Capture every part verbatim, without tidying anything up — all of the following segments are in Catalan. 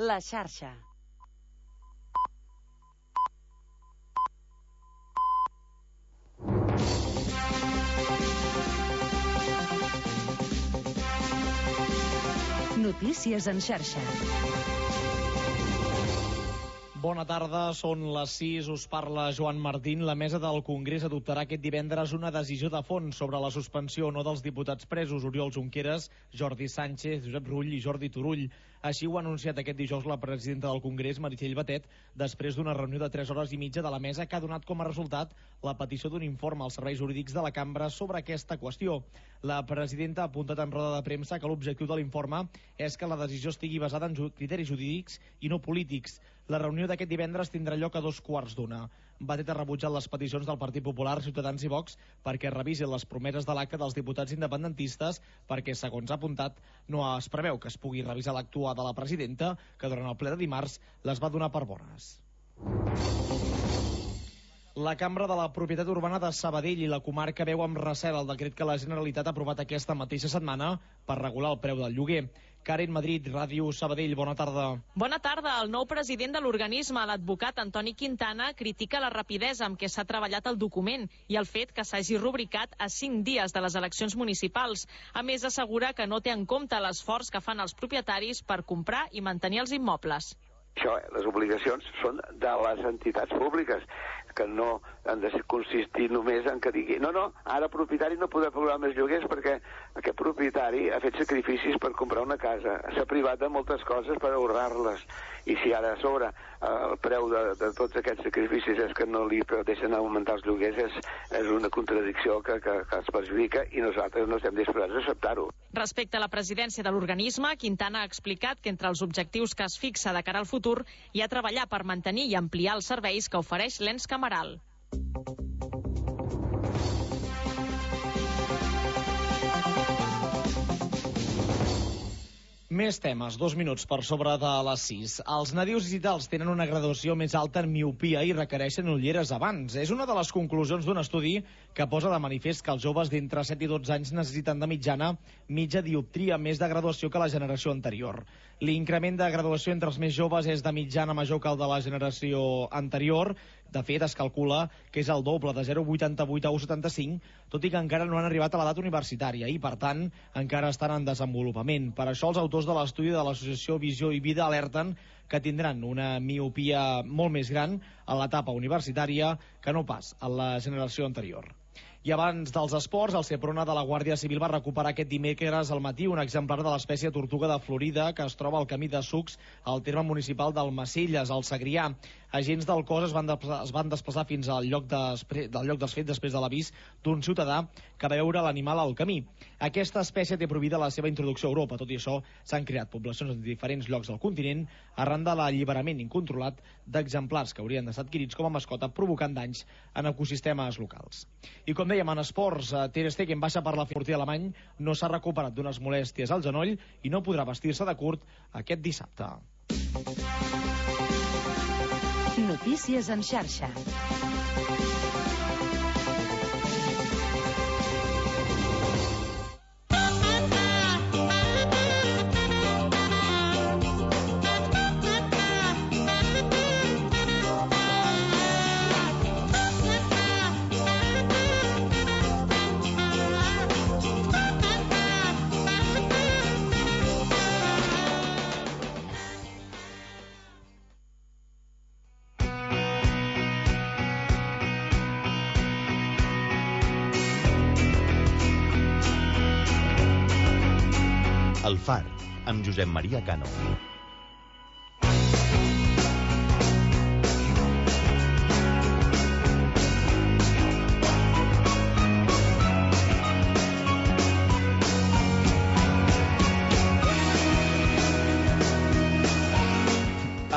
La xarxa. Notícies en xarxa. Bona tarda, són les sis, us parla Joan Martín. La mesa del Congrés adoptarà aquest divendres una decisió de fons sobre la suspensió o no dels diputats presos Oriol Junqueras, Jordi Sánchez, Josep Rull i Jordi Turull. Així ho ha anunciat aquest dijous la presidenta del Congrés, Meritxell Batet, després d'una reunió de tres hores i mitja de la mesa que ha donat com a resultat la petició d'un informe als serveis jurídics de la cambra sobre aquesta qüestió. La presidenta ha apuntat en roda de premsa que l'objectiu de l'informe és que la decisió estigui basada en criteris jurídics i no polítics. La reunió d'aquest divendres tindrà lloc a dos quarts d'una. Batet ha rebutjat les peticions del Partit Popular, Ciutadans i Vox perquè revisin les promeses de l'acte dels diputats independentistes perquè, segons ha apuntat, no es preveu que es pugui revisar l'actuar de la presidenta, que durant el ple de dimarts les va donar per bones. La Cambra de la Propietat Urbana de Sabadell i la comarca veu amb recel el decret que la Generalitat ha aprovat aquesta mateixa setmana per regular el preu del lloguer. Karen Madrid, Ràdio Sabadell, bona tarda. Bona tarda. El nou president de l'organisme, l'advocat Antoni Quintana, critica la rapidesa amb què s'ha treballat el document i el fet que s'hagi rubricat a cinc dies de les eleccions municipals. A més, assegura que no té en compte l'esforç que fan els propietaris per comprar i mantenir els immobles. Això, les obligacions són de les entitats públiques, que no han de consistir només en que digui no, no, ara el propietari no podrà pagar més lloguers perquè aquest propietari ha fet sacrificis per comprar una casa, s'ha privat de moltes coses per ahorrar-les, i si ara a sobre el preu de, de tots aquests sacrificis és que no li deixen augmentar els lloguers, és, és una contradicció que, que, que es perjudica i nosaltres no estem disposats a acceptar-ho. Respecte a la presidència de l'organisme, Quintana ha explicat que entre els objectius que es fixa de cara al futur hi ha treballar per mantenir i ampliar els serveis que ofereix l'ens cameral. Més temes, dos minuts per sobre de les sis. Els nadius digitals tenen una graduació més alta en miopia i requereixen ulleres abans. És una de les conclusions d'un estudi que posa de manifest que els joves d'entre set i dotze anys necessiten de mitjana mitja dioptria més de graduació que la generació anterior. L'increment de graduació entre els més joves és de mitjana major que el de la generació anterior. De fet, es calcula que és el doble, de zero coma vuitanta-vuit a u coma setanta-cinc, tot i que encara no han arribat a l'edat universitària i, per tant, encara estan en desenvolupament. Per això, els autors de l'estudi de l'associació Visió i Vida alerten que tindran una miopia molt més gran a l'etapa universitària que no pas a la generació anterior. I abans dels esports, el Seprona de la Guàrdia Civil va recuperar aquest dimecres al matí un exemplar de l'espècie tortuga de Florida que es troba al camí de Sucs, al terme municipal d'Almacelles, al Segrià. Agents del cos es van, es van desplaçar fins al lloc, de, del lloc dels fets després de l'avís d'un ciutadà que va veure l'animal al camí. Aquesta espècie té prohibida la seva introducció a Europa. Tot i això, s'han creat poblacions en diferents llocs del continent arran de l'alliberament incontrolat d'exemplars que haurien d'estar adquirits com a mascota, provocant danys en ecosistemes locals. I com dèiem, en esports, Ter Stegen baixa per la porter alemany, no s'ha recuperat d'unes molèsties al genoll i no podrà vestir-se de curt aquest dissabte. Notícies en xarxa. El Far, amb Josep Maria Cano.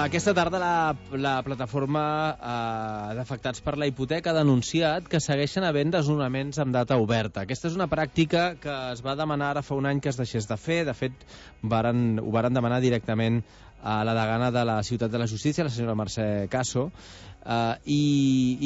Aquesta tarda la, la plataforma eh, d'afectats per la hipoteca ha denunciat que segueixen havent desnonaments amb data oberta. Aquesta és una pràctica que es va demanar ara fa un any que es deixés de fer. De fet, varen, ho varen demanar directament a la degana de la Ciutat de la Justícia, la senyora Mercè Caso, eh, i,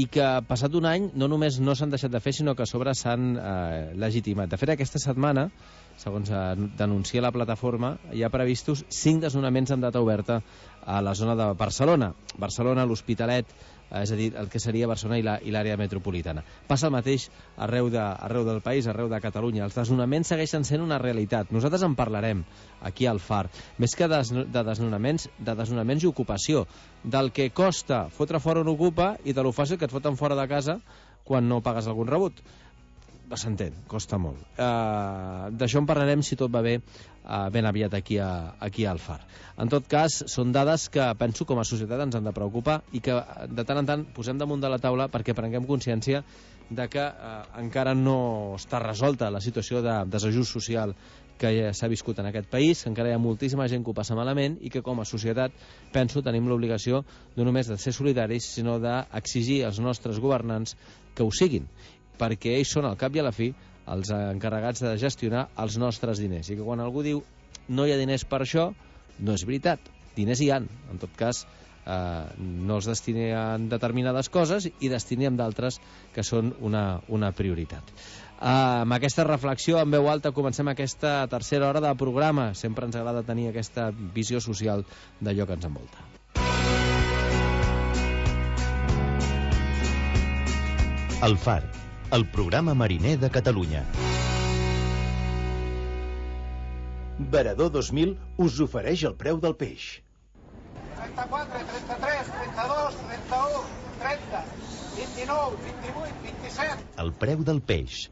i que passat un any no només no s'han deixat de fer, sinó que a sobre s'han eh, legitimat. De fet, aquesta setmana segons denuncia la plataforma, hi ha previstos cinc desnonaments amb data oberta a la zona de Barcelona. Barcelona, l'Hospitalet, és a dir, el que seria Barcelona i l'àrea metropolitana. Passa el mateix arreu, de, arreu del país, arreu de Catalunya. Els desnonaments segueixen sent una realitat. Nosaltres en parlarem aquí al Far. Més que de, de desnonaments, de desnonaments i ocupació. Del que costa fotre fora un ocupa i de lo fàcil que et foten fora de casa quan no pagues algun rebut. S'entén, costa molt. Uh, D'això en parlarem, si tot va bé, uh, ben aviat aquí, a, aquí al Far. En tot cas, són dades que penso com a societat ens han de preocupar i que de tant en tant posem damunt de la taula perquè prenguem consciència de que uh, encara no està resolta la situació de desajust social que ja s'ha viscut en aquest país, que encara hi ha moltíssima gent que ho passa malament i que com a societat, penso, tenim l'obligació no només de ser solidaris, sinó d'exigir als nostres governants que ho siguin, perquè ells són, al cap i a la fi, els encarregats de gestionar els nostres diners. I que quan algú diu no hi ha diners per això, no és veritat. Diners hi han. En tot cas, eh, no els destinem determinades coses i destinem d'altres que són una, una prioritat. Eh, amb aquesta reflexió en veu alta comencem aquesta tercera hora de programa. Sempre ens agrada tenir aquesta visió social d'allò que ens envolta. El Far, el programa mariner de Catalunya. Varador dos mil us ofereix el preu del peix. trenta-quatre, trenta-tres, trenta-dos, trenta-u, trenta, vint-i-nou, vint-i-vuit, vint-i-set. El preu del peix.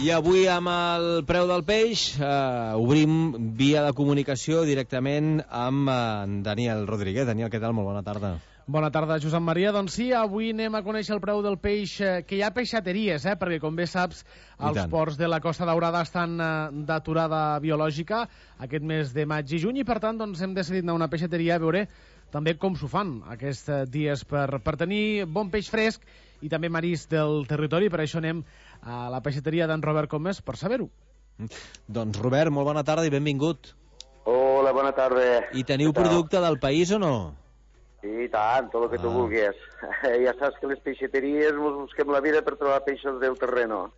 I avui amb el preu del peix eh, obrim via de comunicació directament amb eh, Daniel Rodríguez. Daniel, què tal? Molt bona tarda. Bona tarda, Josep Maria. Doncs sí, avui anem a conèixer el preu del peix, eh, que hi ha peixateries, eh, perquè com bé saps, els ports de la Costa Daurada estan eh, d'aturada biològica aquest mes de maig i juny i per tant doncs, hem decidit anar a una peixateria a veure també com s'ho fan aquests dies per, per tenir bon peix fresc i també marís del territori. Per això anem a la peixateria d'en Robert Comès per saber-ho. Doncs Robert, molt bona tarda i benvingut. Hola, bona tarda. I teniu producte del país o no? Sí, tant, tot el que ah. tu vulguis. Ja saps que les peixateries ens busquem la vida per trobar peixos del terreno.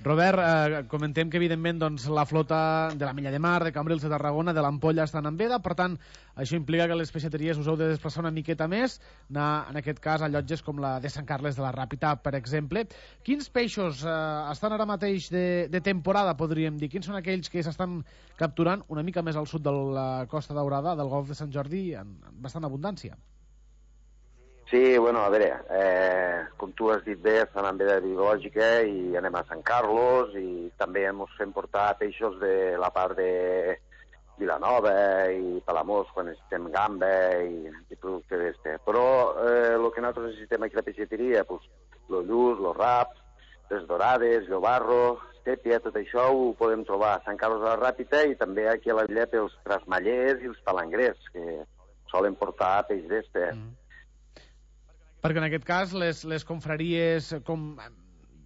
Robert, eh, comentem que evidentment doncs, la flota de la Mella de Mar, de Cambrils, de Tarragona, de l'Ampolla estan en veda, per tant, això implica que les peixateries us heu de desplaçar una miqueta més, anar, en aquest cas, a llotges com la de Sant Carles de la Ràpita, per exemple. Quins peixos eh, estan ara mateix de, de temporada, podríem dir? Quins són aquells que s'estan capturant una mica més al sud de la Costa Daurada, del Golf de Sant Jordi, en, en bastant abundància? Sí, bueno, a veure, eh, com tu has dit bé, estan en veda biològica i anem a Sant Carlos i també ens fem portar peixos de la part de Vilanova i Palamós quan necessitem gamba i, i producte d'este. Però eh, el que nosaltres necessitem aquí a la peixateria, pues, los lluç, los raps, les dorades, llobarro, sèpia, tot això ho podem trobar a Sant Carlos de la Ràpita i també aquí a la Villa els trasmallers i els palangrers, que solen portar peix d'este. Mm. Perquè en aquest cas les, les confraries com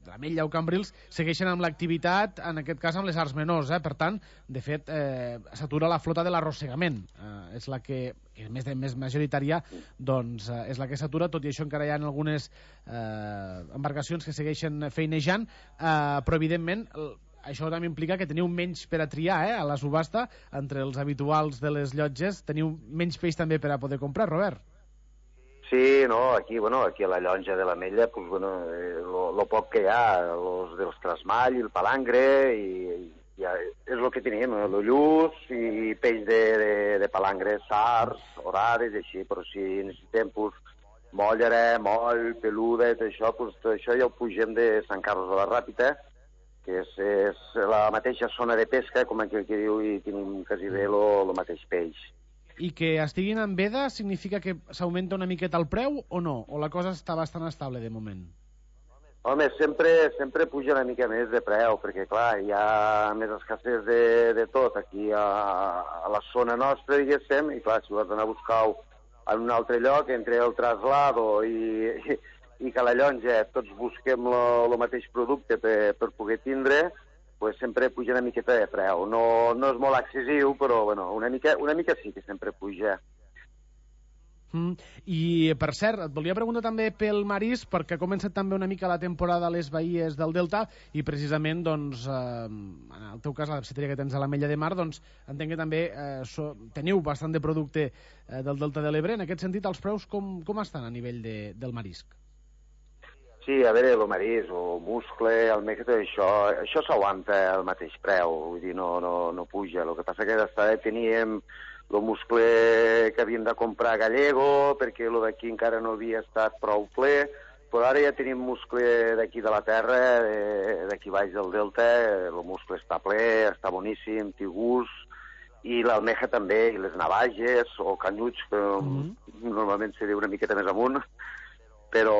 l'Ametlla o Cambrils segueixen amb l'activitat, en aquest cas amb les arts menors, eh? Per tant, de fet, eh, s'atura la flota de l'arrossegament, eh, és la que, que és més, de, més majoritària, doncs eh, és la que s'atura, tot i això encara hi ha algunes eh, embarcacions que segueixen feinejant, eh, però evidentment això també implica que teniu menys per a triar, eh, a la subhasta, entre els habituals de les llotges, teniu menys peix també per a poder comprar, Robert. Sí, no, aquí, bueno, aquí a la llonja de l'Ametlla, pues, bueno, eh, lo, lo poc que hi ha, los dels trasmall i el palangre, i, i ja és el que tenim, el lluç i peix de, de, de palangre, sars, orades i així, però si necessitem, pues, mollera, moll, peluda, tot això, pues, tot això ja ho pugem de Sant Carles de la Ràpita, que és, és la mateixa zona de pesca, com aquí que diu, i tenim quasi bé el mateix peix. I que estiguin en veda significa que s'augmenta una miqueta el preu o no? O la cosa està bastant estable de moment? Home, sempre, sempre puja una mica més de preu, perquè clar, hi ha més escassez de, de tot aquí a, a la zona nostra, diguéssim, i clar, si ho has d'anar a buscar en un altre lloc, entre el traslado i, i, i que a la llonja tots busquem el mateix producte per, per poder tindre, pues sempre puja una miqueta de preu. No, no és molt excessiu, però bueno, una, mica, una mica sí que sempre puja. Mm. I, per cert, et volia preguntar també pel marisc, perquè ha començat també una mica la temporada a les baies del Delta i precisament, doncs, eh, en el teu cas, la pesseteria que tens a l'Ametlla de Mar, doncs, entenc que també eh, so, teniu bastant de producte eh, del Delta de l'Ebre. En aquest sentit, els preus com, com estan a nivell de, del marisc? Sí, a veure, el marisc, el muscle, el meca, tot això, això s'aguanta al mateix preu, vull dir, no, no, no puja. El que passa que d'estar teníem el muscle que havíem de comprar gallego, perquè el d'aquí encara no havia estat prou ple, però ara ja tenim muscle d'aquí de la terra, d'aquí baix del Delta, el muscle està ple, està boníssim, té gust, i l'almeja també, i les navages, o canyuts, que mm-hmm. normalment se diu una miqueta més amunt, però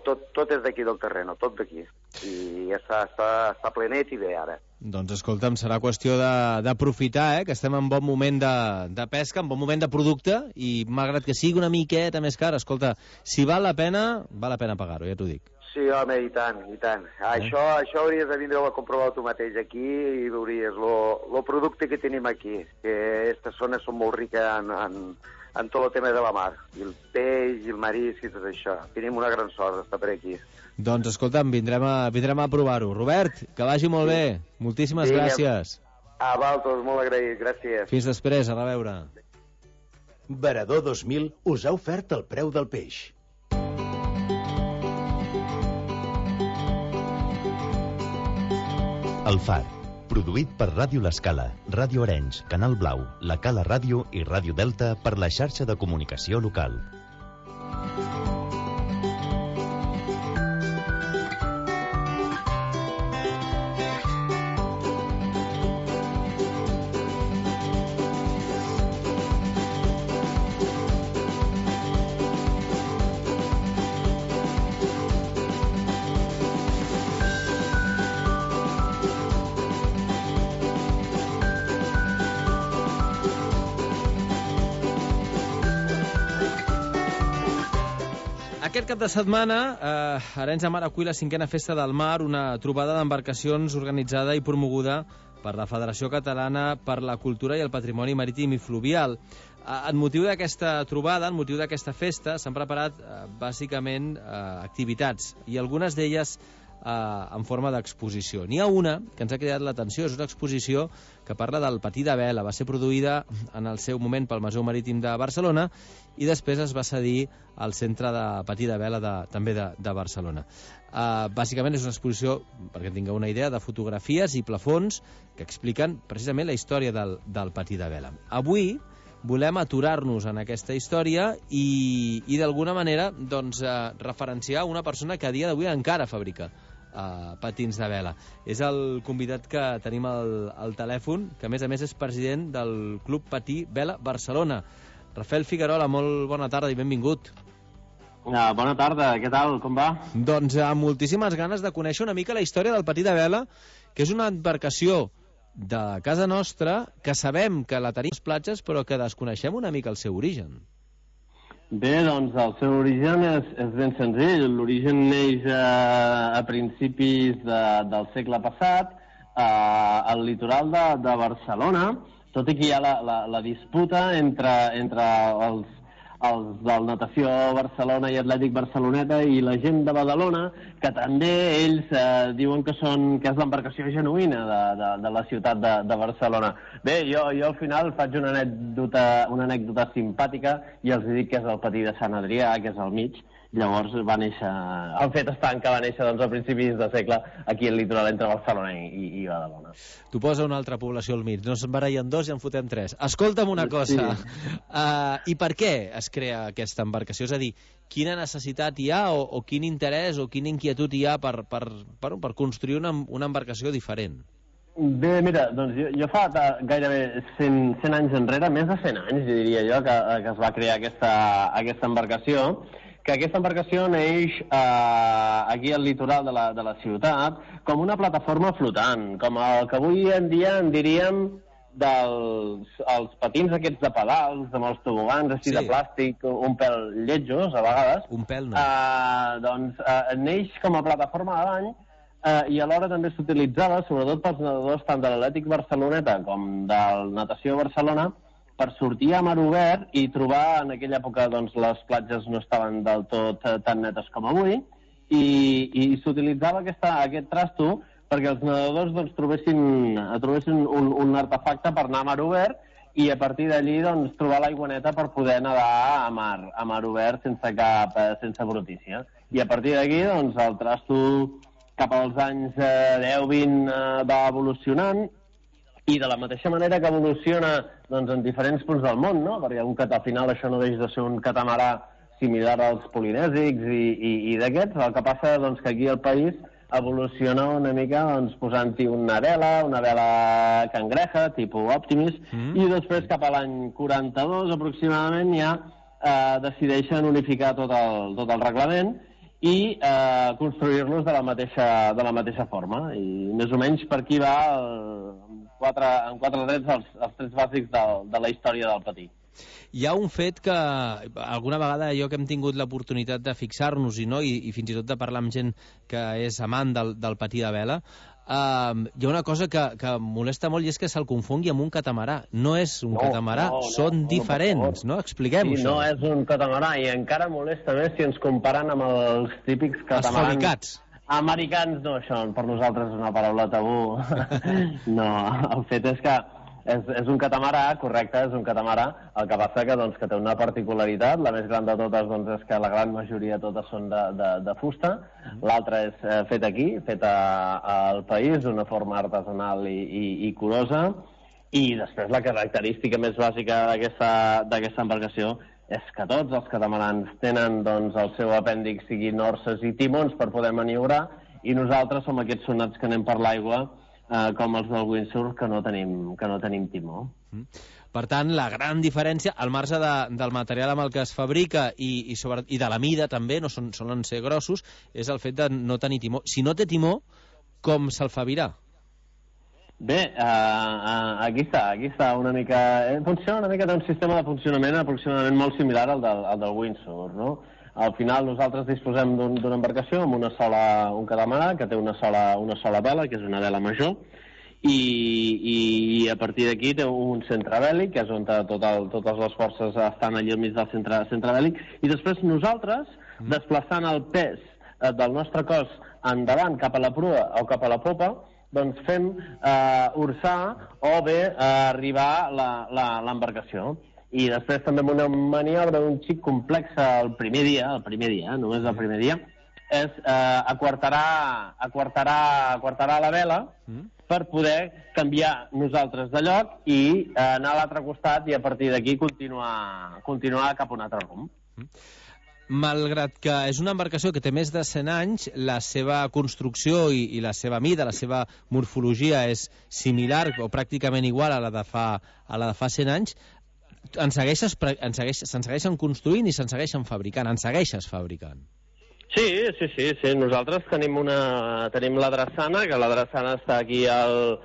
tot, tot és d'aquí del terreno, tot d'aquí. I ja està, està, està plenet i bé ara. Doncs escolta'm, serà qüestió d'aprofitar, eh, que estem en bon moment de, de pesca, en bon moment de producte, i malgrat que sigui una miqueta més car, escolta, si val la pena, val la pena pagar-ho, ja t'ho dic. Sí, home, i tant, i tant. Eh? Això, això hauries de vindre a comprovar tu mateix aquí i veuries el producte que tenim aquí, que aquestes zones són molt riques en, en, en tot el tema de la mar, i el peix, i el marisc, i tot això. Tenim una gran sort d'estar per aquí. Doncs escolta'm, vindrem a, vindrem a provar-ho. Robert, que vagi molt sí. bé. Moltíssimes sí, gràcies. A Valtos, molt agraït, gràcies. Fins després, a reveure. Varador dos mil us ha ofert el preu del peix. El Far, produït per Ràdio L'Escala, Ràdio Arenys, Canal Blau, La Cala Ràdio i Ràdio Delta per la xarxa de comunicació local. Aquest cap de setmana, eh, Arenys de Mar acull la cinquena Festa del Mar, una trobada d'embarcacions organitzada i promoguda per la Federació Catalana per la Cultura i el Patrimoni Marítim i Fluvial. Eh, en motiu d'aquesta trobada, en motiu d'aquesta festa, s'han preparat eh, bàsicament eh, activitats, i algunes d'elles eh, en forma d'exposició. N'hi ha una que ens ha cridat l'atenció, és una exposició que parla del patí de vela. Va ser produïda en el seu moment pel Museu Marítim de Barcelona i després es va cedir al Centre de Patí de Vela de, també de, de Barcelona. Uh, bàsicament és una exposició, perquè tingueu una idea, de fotografies i plafons que expliquen precisament la història del, del patí de vela. Avui volem aturar-nos en aquesta història i, i d'alguna manera doncs, uh, referenciar una persona que a dia d'avui encara fabrica uh, patins de vela. És el convidat que tenim al, al telèfon, que a més a més és president del Club Patí Vela Barcelona. Rafael Figuerola, molt bona tarda i benvingut. Uh, bona tarda, què tal, com va? Doncs amb moltíssimes ganes de conèixer una mica la història del patí de vela, que és una embarcació de casa nostra que sabem que la tenim a les platges, però que desconeixem una mica el seu origen. Bé, doncs el seu origen és, és ben senzill. L'origen neix a, a principis de, del segle passat, a, al litoral de, de Barcelona, tot i que hi ha la, la, la disputa entre, entre els, els del Natació Barcelona i Atlètic Barceloneta i la gent de Badalona, que també ells eh, diuen que, són, que és l'embarcació genuïna de, de, de la ciutat de, de Barcelona. Bé, jo, jo al final faig una anècdota, una anècdota simpàtica i els dic que és el patí de Sant Adrià, que és al mig. Llavors va néixer... El fet estant que va néixer doncs, a principis de segle aquí al litoral entre Barcelona i, i, i Badalona. Tu posa una altra població al mig, no se'n barallen dos i en fotem tres. Escolta'm una cosa, sí. uh, i per què es crea aquesta embarcació? És a dir, quina necessitat hi ha o, o quin interès o quina inquietud hi ha per, per, per, per construir una, una embarcació diferent? Bé, mira, doncs jo, jo fa gairebé cent, cent anys enrere, més de cent anys, diria jo, que, que es va crear aquesta, aquesta embarcació, que aquesta embarcació neix eh, aquí al litoral de la, de la ciutat com una plataforma flotant, com el que avui en dia en diríem dels els patins aquests de pedals, amb els tobogans així sí. de plàstic, un pèl lletjos a vegades. Un pèl no. Eh, doncs eh, neix com a plataforma de bany eh, i alhora també s'utilitzava, sobretot pels nedadors tant de l'Atlètic Barceloneta com del Natació Barcelona, per sortir a mar obert i trobar, en aquella època doncs, les platges no estaven del tot eh, tan netes com avui, i, i s'utilitzava aquesta, aquest trasto perquè els nedadors doncs, trobessin, trobessin un, un artefacte per anar a mar obert i a partir d'allí doncs, trobar l'aigua neta per poder nedar a mar, a mar obert sense cap sense brutícia. I a partir d'aquí doncs, el trasto cap als anys eh, deu vint eh, va evolucionant i de la mateixa manera que evoluciona doncs, en diferents punts del món, no? Perquè un, al final això no deixa de ser un catamarà similar als polinèsics i, i, i d'aquests, el que passa doncs, que aquí al país evoluciona una mica doncs, posant-hi una vela, una vela cangreja, tipus Optimis, mm. i després cap a l'any quaranta-dos aproximadament ja eh, decideixen unificar tot el, tot el reglament i eh, construir-los de la mateixa, de la mateixa forma. I més o menys per aquí va el, quatre, en quatre trets els, els trets bàsics de, de la història del patí. Hi ha un fet que alguna vegada jo que hem tingut l'oportunitat de fixar-nos-hi, no? I, i fins i tot de parlar amb gent que és amant del, del patí de vela, uh, hi ha una cosa que, que molesta molt i és que se'l confongui amb un catamarà. No és un no, catamarà, no, no, són no, diferents, no? Expliquem-ho. Sí, no és un catamarà i encara molesta més si ens comparen amb els típics catamarans. Els fabricats. Americans, no, això per nosaltres és una paraula tabú. No, el fet és que És, és un catamarà, correcte, és un catamarà, el que passa que, doncs, que té una particularitat, la més gran de totes doncs, és que la gran majoria totes són de, de, de fusta, l'altra és eh, fet aquí, fet al país d'una forma artesanal i, i, i curosa, i després la característica més bàsica d'aquesta embarcació és que tots els catamarans tenen doncs, el seu apèndix, siguin orses i timons per poder maniobrar, i nosaltres som aquests sonats que anem per l'aigua, Uh, com els del windsurf, que no tenim, que no tenim timó. Mm. Per tant, la gran diferència, al marge de, del material amb el que es fabrica i, i, sobre, i de la mida també, no són, solen ser grossos, és el fet de no tenir timó. Si no té timó, com se'l fa virar? Bé, uh, uh, aquí està, aquí està una mica... Eh, funciona una mica, té un sistema de funcionament aproximadament molt similar al del, al del windsurf, no? Al final nosaltres disposem d'una un, embarcació amb una sola, un catamarà que té una sola, una sola vela, que és una vela major, i, i, i a partir d'aquí té un centre bèl·lic, que és on tot el, totes les forces estan allà al mig del centre, centre bèl·lic, i després nosaltres, mm. desplaçant el pes eh, del nostre cos endavant cap a la prua o cap a la popa, doncs fem eh, orçar o bé eh, arribar l'embarcació. I després també amb una maniobra un xic complexa el primer dia, el primer dia, només el primer dia, és eh, aquartarar, aquartarar, aquartarar la vela mm. per poder canviar nosaltres de lloc i eh, anar a l'altre costat i a partir d'aquí continuar, continuar cap a un altre rumb. Mm. Malgrat que és una embarcació que té més de cent anys, la seva construcció i, i la seva mida, la seva morfologia és similar o pràcticament igual a la de fa, a la de fa cent anys, en segueixes, en segueix, se'n segueixen construint i se'n segueixen fabricant, en segueixes fabricant. Sí, sí, sí, sí. Nosaltres tenim una tenim la drassana, que la drassana està aquí al,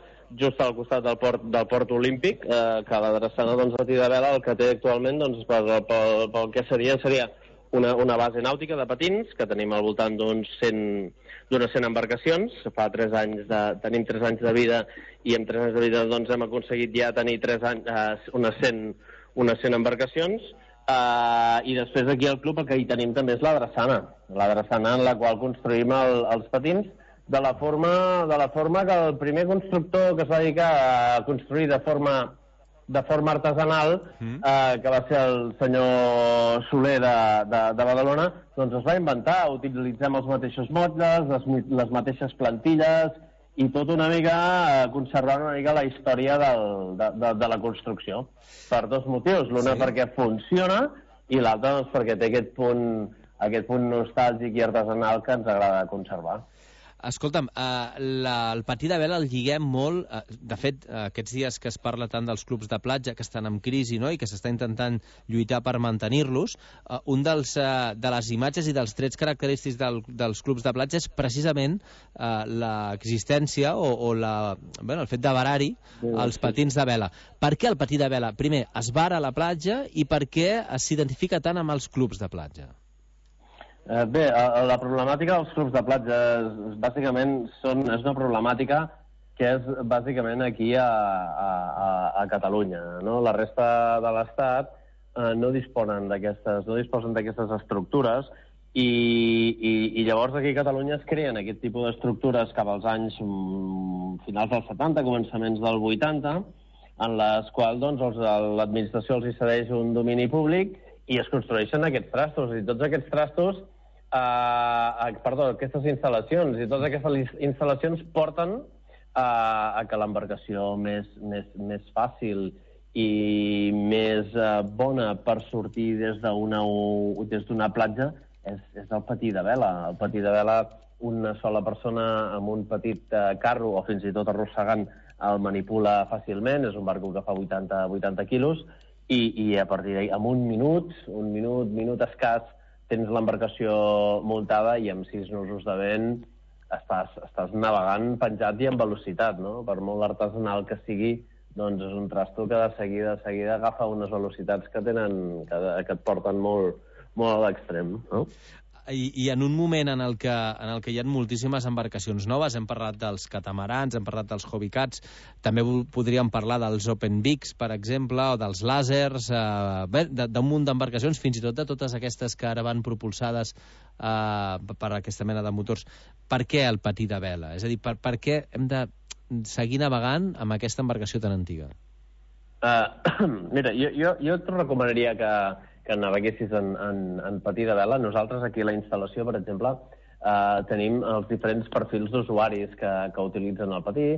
just al costat del port, del port olímpic, eh, que la drassana, doncs, a de vela, el que té actualment, doncs, pel, pel, pel que seria, seria una, una base nàutica de patins, que tenim al voltant d'uns cent, d'unes cent embarcacions. Fa tres anys de, tenim tres anys de vida i en tres anys de vida doncs, hem aconseguit ja tenir tres anys, eh, unes cent unes cent embarcacions, uh, i després aquí al club el que hi tenim també és la drassana, la drassana en la qual construïm el, els patins de la, forma, de la forma que el primer constructor que es va dedicar a construir de forma, de forma artesanal, mm. uh, que va ser el senyor Soler de, de, de Badalona, doncs es va inventar, utilitzem els mateixos motlles, les, les mateixes plantilles, i tot una mica eh, conservant una mica la història del, de, de, de la construcció. Per dos motius. L'una sí. perquè funciona i l'altra doncs, perquè té aquest punt, aquest punt nostàlgic i artesanal que ens agrada conservar. Escolta'm, eh, la, el patí de vela el lliguem molt, eh, de fet, eh, aquests dies que es parla tant dels clubs de platja que estan en crisi, no?, i que s'està intentant lluitar per mantenir-los, eh, un dels, eh, de les imatges i dels trets característics del, dels clubs de platja és precisament eh, l'existència o, o la, bueno, el fet de varar-hi els patins de vela. Per què el patí de vela? Primer, es vara a la platja i per què s'identifica tant amb els clubs de platja? Eh, bé, la problemàtica dels clubs de platja és, bàsicament són, és una problemàtica que és bàsicament aquí a, a, a Catalunya, no? La resta de l'Estat eh, no disponen d'aquestes no disposen d'aquestes estructures i, i, i llavors aquí a Catalunya es creen aquest tipus d'estructures cap als anys mm, finals dels setanta, començaments del vuitanta, en les quals doncs, els, l'administració els hi cedeix un domini públic i es construeixen aquests trastos, i tots aquests trastos Uh, perdó, aquestes instal·lacions i totes aquestes instal·lacions porten uh, a que l'embarcació més, més, més fàcil i més uh, bona per sortir des d'una des d'una platja és, és el patí de vela. El patí de vela, una sola persona amb un petit uh, carro o fins i tot arrossegant el manipula fàcilment, és un barco que fa vuitanta quilos i, i a partir d'ahí, amb un minut, un minut, minut escàs, tens l'embarcació muntada i amb sis nusos de vent estàs, estàs navegant penjat i amb velocitat, no? Per molt artesanal que sigui, doncs és un trasto que de seguida, de seguida agafa unes velocitats que tenen, que, que et porten molt, molt a l'extrem, no? I, I en un moment en el, que, en el que hi ha moltíssimes embarcacions noves, hem parlat dels catamarans, hem parlat dels hobbycats, també podríem parlar dels open bigs, per exemple, o dels làsers, eh, d'un munt d'embarcacions, fins i tot de totes aquestes que ara van propulsades eh, per aquesta mena de motors. Per què el patí de vela? És a dir, per, per què hem de seguir navegant amb aquesta embarcació tan antiga? Uh, mira, jo, jo, jo et recomanaria que que naveguessis en, en, en patí de vela. Nosaltres aquí a la instal·lació, per exemple, eh, tenim els diferents perfils d'usuaris que, que utilitzen el patí.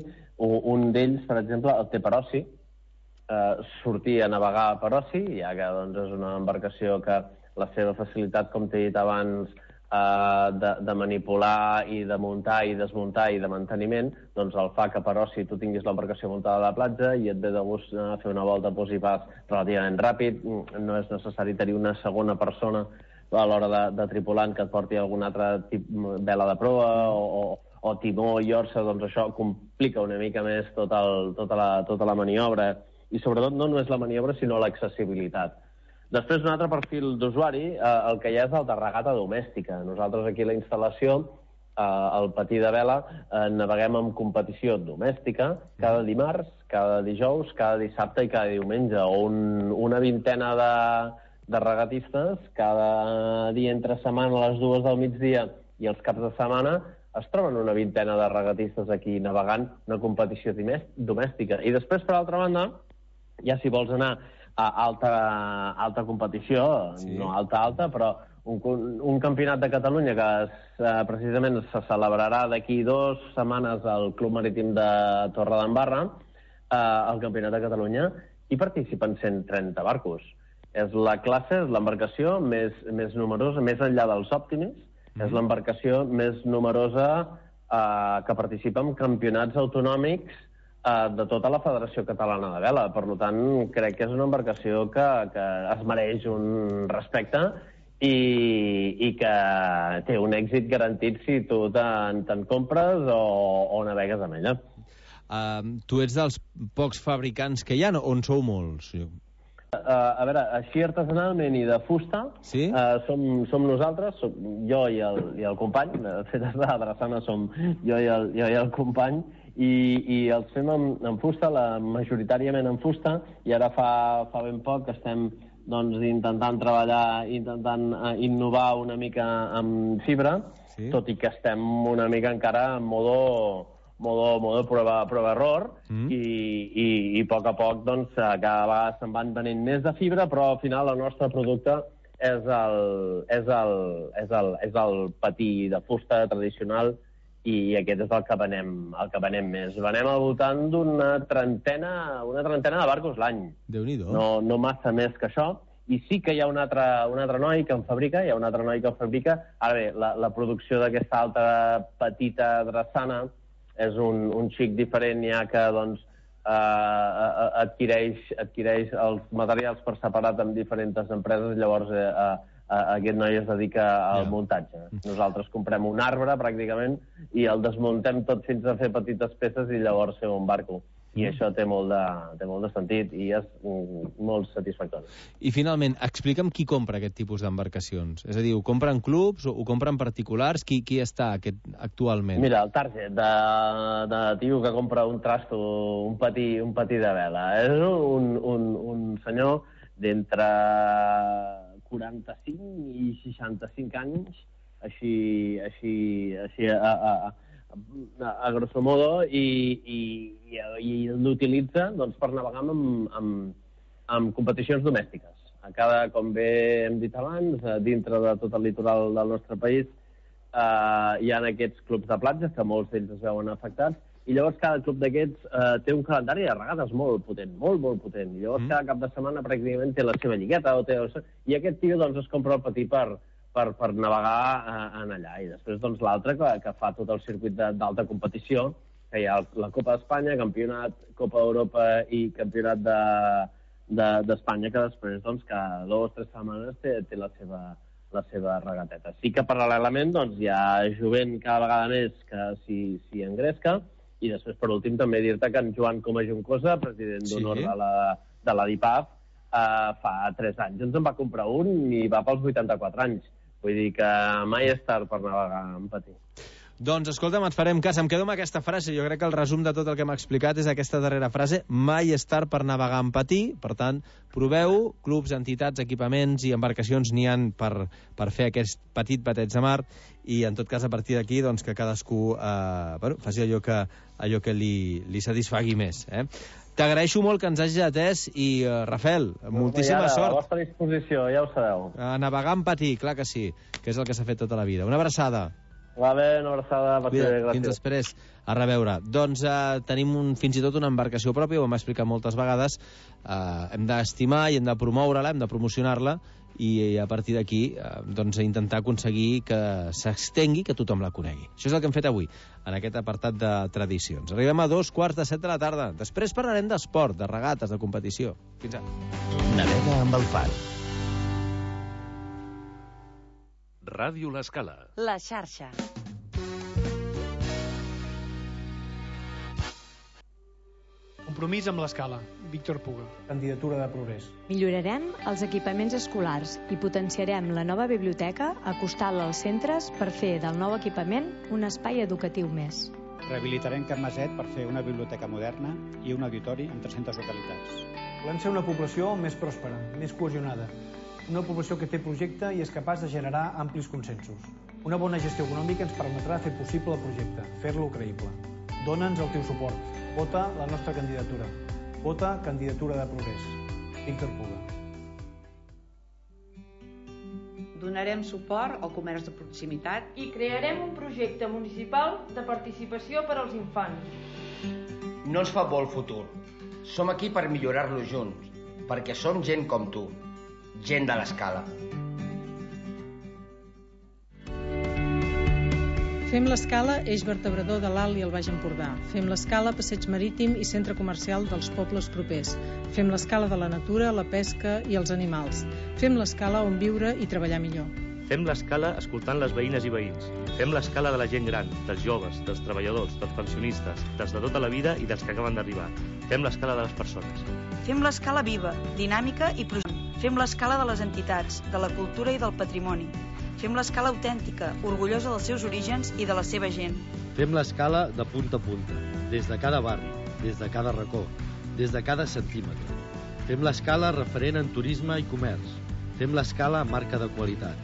Un, un d'ells, per exemple, el té per oci, eh, sortir a navegar per oci, ja que doncs, és una embarcació que la seva facilitat, com t'he dit abans, eh, de, de manipular i de muntar i desmuntar i de manteniment, doncs el fa que per oci tu tinguis l'embarcació muntada a la platja i et ve de gust eh, fer una volta pos i pas relativament ràpid, no és necessari tenir una segona persona a l'hora de, de tripulant que et porti algun altre tipus vela de proa o, o, o timó i orsa, doncs això complica una mica més tot el, tota, la, tota la maniobra i sobretot no només la maniobra sinó l'accessibilitat. Després, un altre perfil d'usuari, eh, el que hi ha és el de regata domèstica. Nosaltres aquí a la instal·lació, eh, al patí de vela, eh, naveguem en competició domèstica cada dimarts, cada dijous, cada dissabte i cada diumenge, o un, una vintena de, de regatistes cada dia entre setmana a les dues del migdia i els caps de setmana es troben una vintena de regatistes aquí navegant una competició domèstica. I després, per altra banda, ja si vols anar a alta, alta competició, sí. No alta-alta, però un, un campionat de Catalunya que es, eh, precisament se celebrarà d'aquí dues setmanes al Club Marítim de Torredembarra, eh, el campionat de Catalunya, hi participen cent trenta barcos. És la classe, és l'embarcació més, més numerosa, més enllà dels Optimis, mm. és l'embarcació més numerosa eh, que participa en campionats autonòmics de tota la Federació Catalana de Vela. Per tant, crec que és una embarcació que, que es mereix un respecte i, i que té un èxit garantit si tu te'n te compres o, o navegues amb ella. Uh, tu ets dels pocs fabricants que hi ha, on sou molts? Uh, a veure, així artesanalment i de fusta, sí? uh, som, som nosaltres, som jo i el, i el company, de fet, des de la Drassana som jo i el, jo i el company, i, i els fem en, en fusta, la, majoritàriament en fusta, i ara fa, fa ben poc que estem doncs, intentant treballar, intentant uh, innovar una mica amb fibra, sí? Tot i que estem una mica encara en modo, modo, modo prova, prova error, mm. i, i, i a poc a poc doncs, cada vegada se'n van venent més de fibra, però al final el nostre producte és el, és el, és el, és el patí de fusta tradicional, i aquest és el que venem, el que venem més. Venem al voltant d'una trentena, una trentena de barcos l'any. Déu-n'hi-do. No, no massa més que això. I sí que hi ha un altre, un altre noi que en fabrica, hi ha un altre noi que en fabrica. Ara bé, la, la producció d'aquesta altra petita drassana és un, un xic diferent, ja que doncs, eh, adquireix, adquireix els materials per separat amb diferents empreses, llavors eh, eh, aquest noi es dedica al yeah. muntatge. Nosaltres comprem un arbre, pràcticament, i el desmuntem tot fins a fer petites peces i llavors fer un barco. I això té molt, de, té molt de sentit i és mm, molt satisfactori. I finalment, explica'm qui compra aquest tipus d'embarcacions. És a dir, ho compren clubs o ho compren particulars? Qui, qui està aquest, actualment? Mira, el target de, de tio que compra un trasto, un patí, un patí de vela. És un, un, un senyor d'entre quaranta-cinc i seixanta-cinc anys, així, així, així a, a, a a grosso modo, i, i, i, i l'utilitza doncs, per navegar amb, amb, amb competicions domèstiques. A cada, com bé hem dit abans, dintre de tot el litoral del nostre país eh, hi ha aquests clubs de platges, que molts d'ells es veuen afectats, i llavors cada club d'aquests eh, té un calendari de regades molt potent, molt, molt potent. I llavors mm. cada cap de setmana pràcticament té la seva lligueta, o té... i aquest tio doncs, es compra el patí per... Per, per navegar eh, en allà. I després doncs, l'altre que, que fa tot el circuit d'alta competició, que hi ha la Copa d'Espanya, Campionat, Copa d'Europa i Campionat d'Espanya, de, de, que després doncs, cada dues o tres setmanes té, té la, seva, la seva regateta. Sí que paral·lelament doncs, hi ha jovent cada vegada més que s'hi engresca, i després per últim també dir-te que en Joan Coma Juncosa, president d'honor sí. de la, de la D I P A F, eh, fa tres anys ens en va comprar un i va pels vuitanta-quatre anys. Vull dir que mai és tard per navegar en patí. Doncs, escolta'm, et farem cas. Em quedo amb aquesta frase. Jo crec que el resum de tot el que m'ha explicat és aquesta darrera frase. Mai és tard per navegar en patí. Per tant, proveu, clubs, entitats, equipaments i embarcacions n'hi han per, per fer aquest petit bateig de mar, i en tot cas, a partir d'aquí, doncs, que cadascú eh, bueno, faci allò que, allò que li, li satisfagui més. Eh? T'agraeixo molt que ens hagis atès i, uh, Rafael, moltíssima ara, sort. A la vostra disposició, ja ho sabeu. A navegar en patí, clar que sí, que és el que s'ha fet tota la vida. Una abraçada. Va bé, una abraçada. Cuida, fins després. A reveure. Doncs uh, tenim un, fins i tot una embarcació pròpia, ho hem explicat moltes vegades. Uh, hem d'estimar i hem de promoure-la, hem de promocionar-la, i a partir d'aquí eh, doncs intentar aconseguir que s'estengui, que tothom la conegui. Això és el que hem fet avui, en aquest apartat de tradicions. Arribem a dos quarts de set de la tarda. Després parlarem d'esport, de regates, de competició. Fins ara. Navega amb el far. Ràdio L'Escala. La xarxa. Compromís amb l'Escala. Víctor Puga. Candidatura de progrés. Millorarem els equipaments escolars i potenciarem la nova biblioteca acostant-la als centres per fer del nou equipament un espai educatiu més. Rehabilitarem Can Maset per fer una biblioteca moderna i un auditori amb tres-centes localitats. Volem ser una població més pròspera, més cohesionada. Una població que té projecte i és capaç de generar amplis consensos. Una bona gestió econòmica ens permetrà fer possible el projecte, fer-lo creïble. Dóna'ns el teu suport. Vota la nostra candidatura. Vota Candidatura de Progrés. Víctor Puga. Donarem suport al comerç de proximitat i crearem un projecte municipal de participació per als infants. No ens fa por el futur. Som aquí per millorar-lo junts, perquè som gent com tu, gent de l'Escala. Fem l'Escala eix vertebrador de l'Alt i el Baix Empordà. Fem l'Escala passeig marítim i centre comercial dels pobles propers. Fem l'Escala de la natura, la pesca i els animals. Fem l'Escala on viure i treballar millor. Fem l'Escala escoltant les veïnes i veïns. Fem l'Escala de la gent gran, dels joves, dels treballadors, dels pensionistes, dels de tota la vida i dels que acaben d'arribar. Fem l'Escala de les persones. Fem l'Escala viva, dinàmica i projecte. Fem l'Escala de les entitats, de la cultura i del patrimoni. Fem l'Escala autèntica, orgullosa dels seus orígens i de la seva gent. Fem l'Escala de punta a punta, des de cada barri, des de cada racó, des de cada centímetre. Fem l'Escala referent en turisme i comerç. Fem l'Escala marca de qualitat.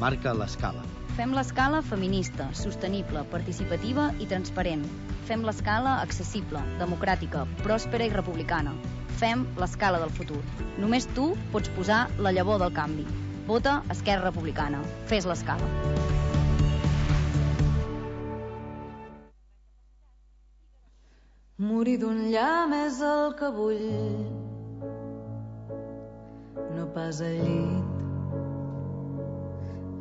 Marca l'Escala. Fem l'Escala feminista, sostenible, participativa i transparent. Fem l'Escala accessible, democràtica, pròspera i republicana. Fem l'Escala del futur. Només tu pots posar la llavor del canvi. Vota Esquerra Republicana. Fes l'Escala. Morir d'un llamp és el que vull, no pas al llit.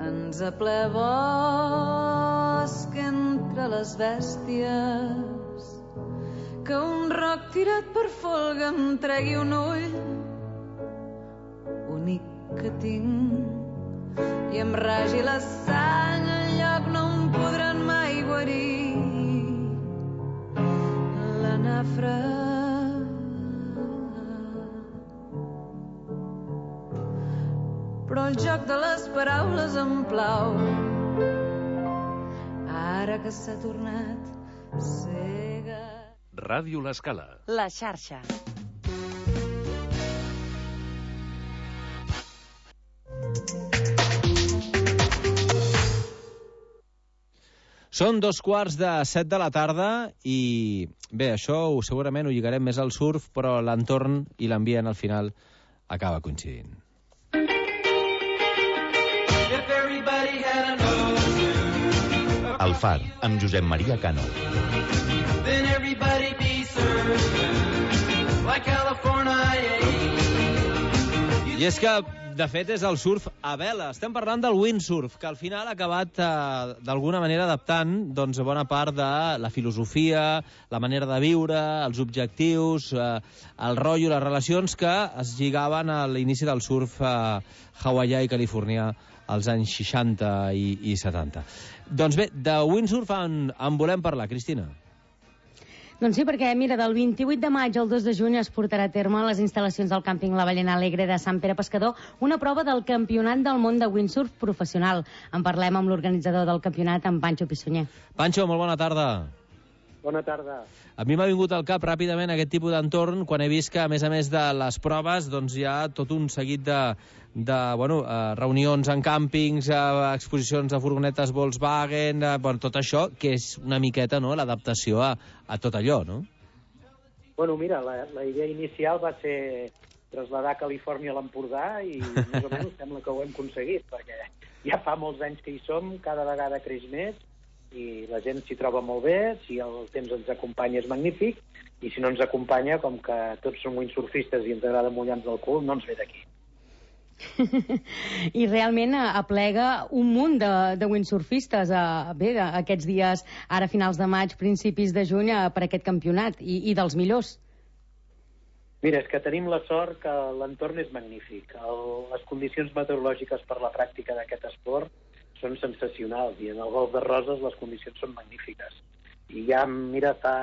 Ens aple bosc entre les bèsties, que un roc tirat per folga em tregui un ull, únic que tinc, i em ragi la sang enlloc no em podran mai guarir. La nafra el joc de les paraules em plau. Ara que s'ha tornat cega. Ràdio L'Escala. La xarxa. Són dos quarts de set de la tarda i, bé, això ho, segurament ho lligarem més al surf, però l'entorn i l'ambient al final acaba coincidint. El Far, amb Josep Maria Cano. I és que, de fet, és el surf a vela. Estem parlant del windsurf, que al final ha acabat eh, d'alguna manera adaptant doncs, bona part de la filosofia, la manera de viure, els objectius, eh, el rotllo, les relacions que es lligaven a l'inici del surf eh, hawaià i californià als anys seixanta i, i setanta. Doncs bé, de windsurf en, en volem parlar, Cristina. Doncs sí, perquè, mira, del vint-i-vuit de maig al dos de juny es portarà a terme a les instal·lacions del càmping La Ballena Alegre de Sant Pere Pescador una prova del Campionat del Món de Windsurf professional. En parlem amb l'organitzador del campionat, en Pancho Pissunyer. Pancho, molt bona tarda. Bona tarda. A mi m'ha vingut al cap ràpidament aquest tipus d'entorn quan he vist que, a més a més de les proves, doncs hi ha tot un seguit de, de bueno, eh, reunions en càmpings, eh, exposicions de furgonetes Volkswagen, eh, bueno, tot això, que és una miqueta, no?, l'adaptació a, a tot allò, no? Bueno, mira, la, la idea inicial va ser traslladar Califòrnia a l'Empordà i més o menys sembla que ho hem aconseguit, perquè ja fa molts anys que hi som, cada vegada creix més, i la gent s'hi troba molt bé, si el temps ens acompanya és magnífic, i si no ens acompanya, com que tots som windsurfistes i ens agrada mullar-nos el cul, no ens ve d'aquí. I realment aplega un munt de, de windsurfistes a, bé, a, aquests dies, ara finals de maig, principis de juny, a, per aquest campionat, i, i dels millors. Mira, és que tenim la sort que l'entorn és magnífic. El, les condicions meteorològiques per la pràctica d'aquest esport són sensacionals, i en el Golf de Roses les condicions són magnífiques. I ja, mira, fa,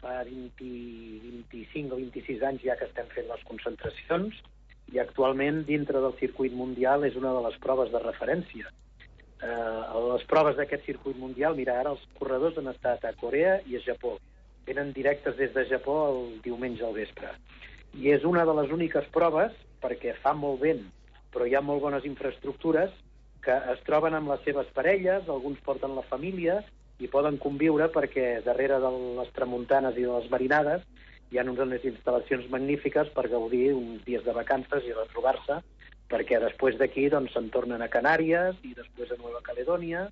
fa vint, vint-i-cinc o vint-i-sis anys ja que estem fent les concentracions, i actualment, dintre del circuit mundial, és una de les proves de referència. Eh, les proves d'aquest circuit mundial, mira, ara els corredors han estat a Corea i a Japó. Venen directes des de Japó el diumenge al vespre. I és una de les úniques proves, perquè fa molt vent, però hi ha molt bones infraestructures, que es troben amb les seves parelles, alguns porten la família i poden conviure perquè darrere de les tramuntanes i de les marinades hi ha unes instal·lacions magnífiques per gaudir uns dies de vacances i retrobar-se, perquè després d'aquí doncs, se'n tornen a Canàries i després a Nova Caledònia,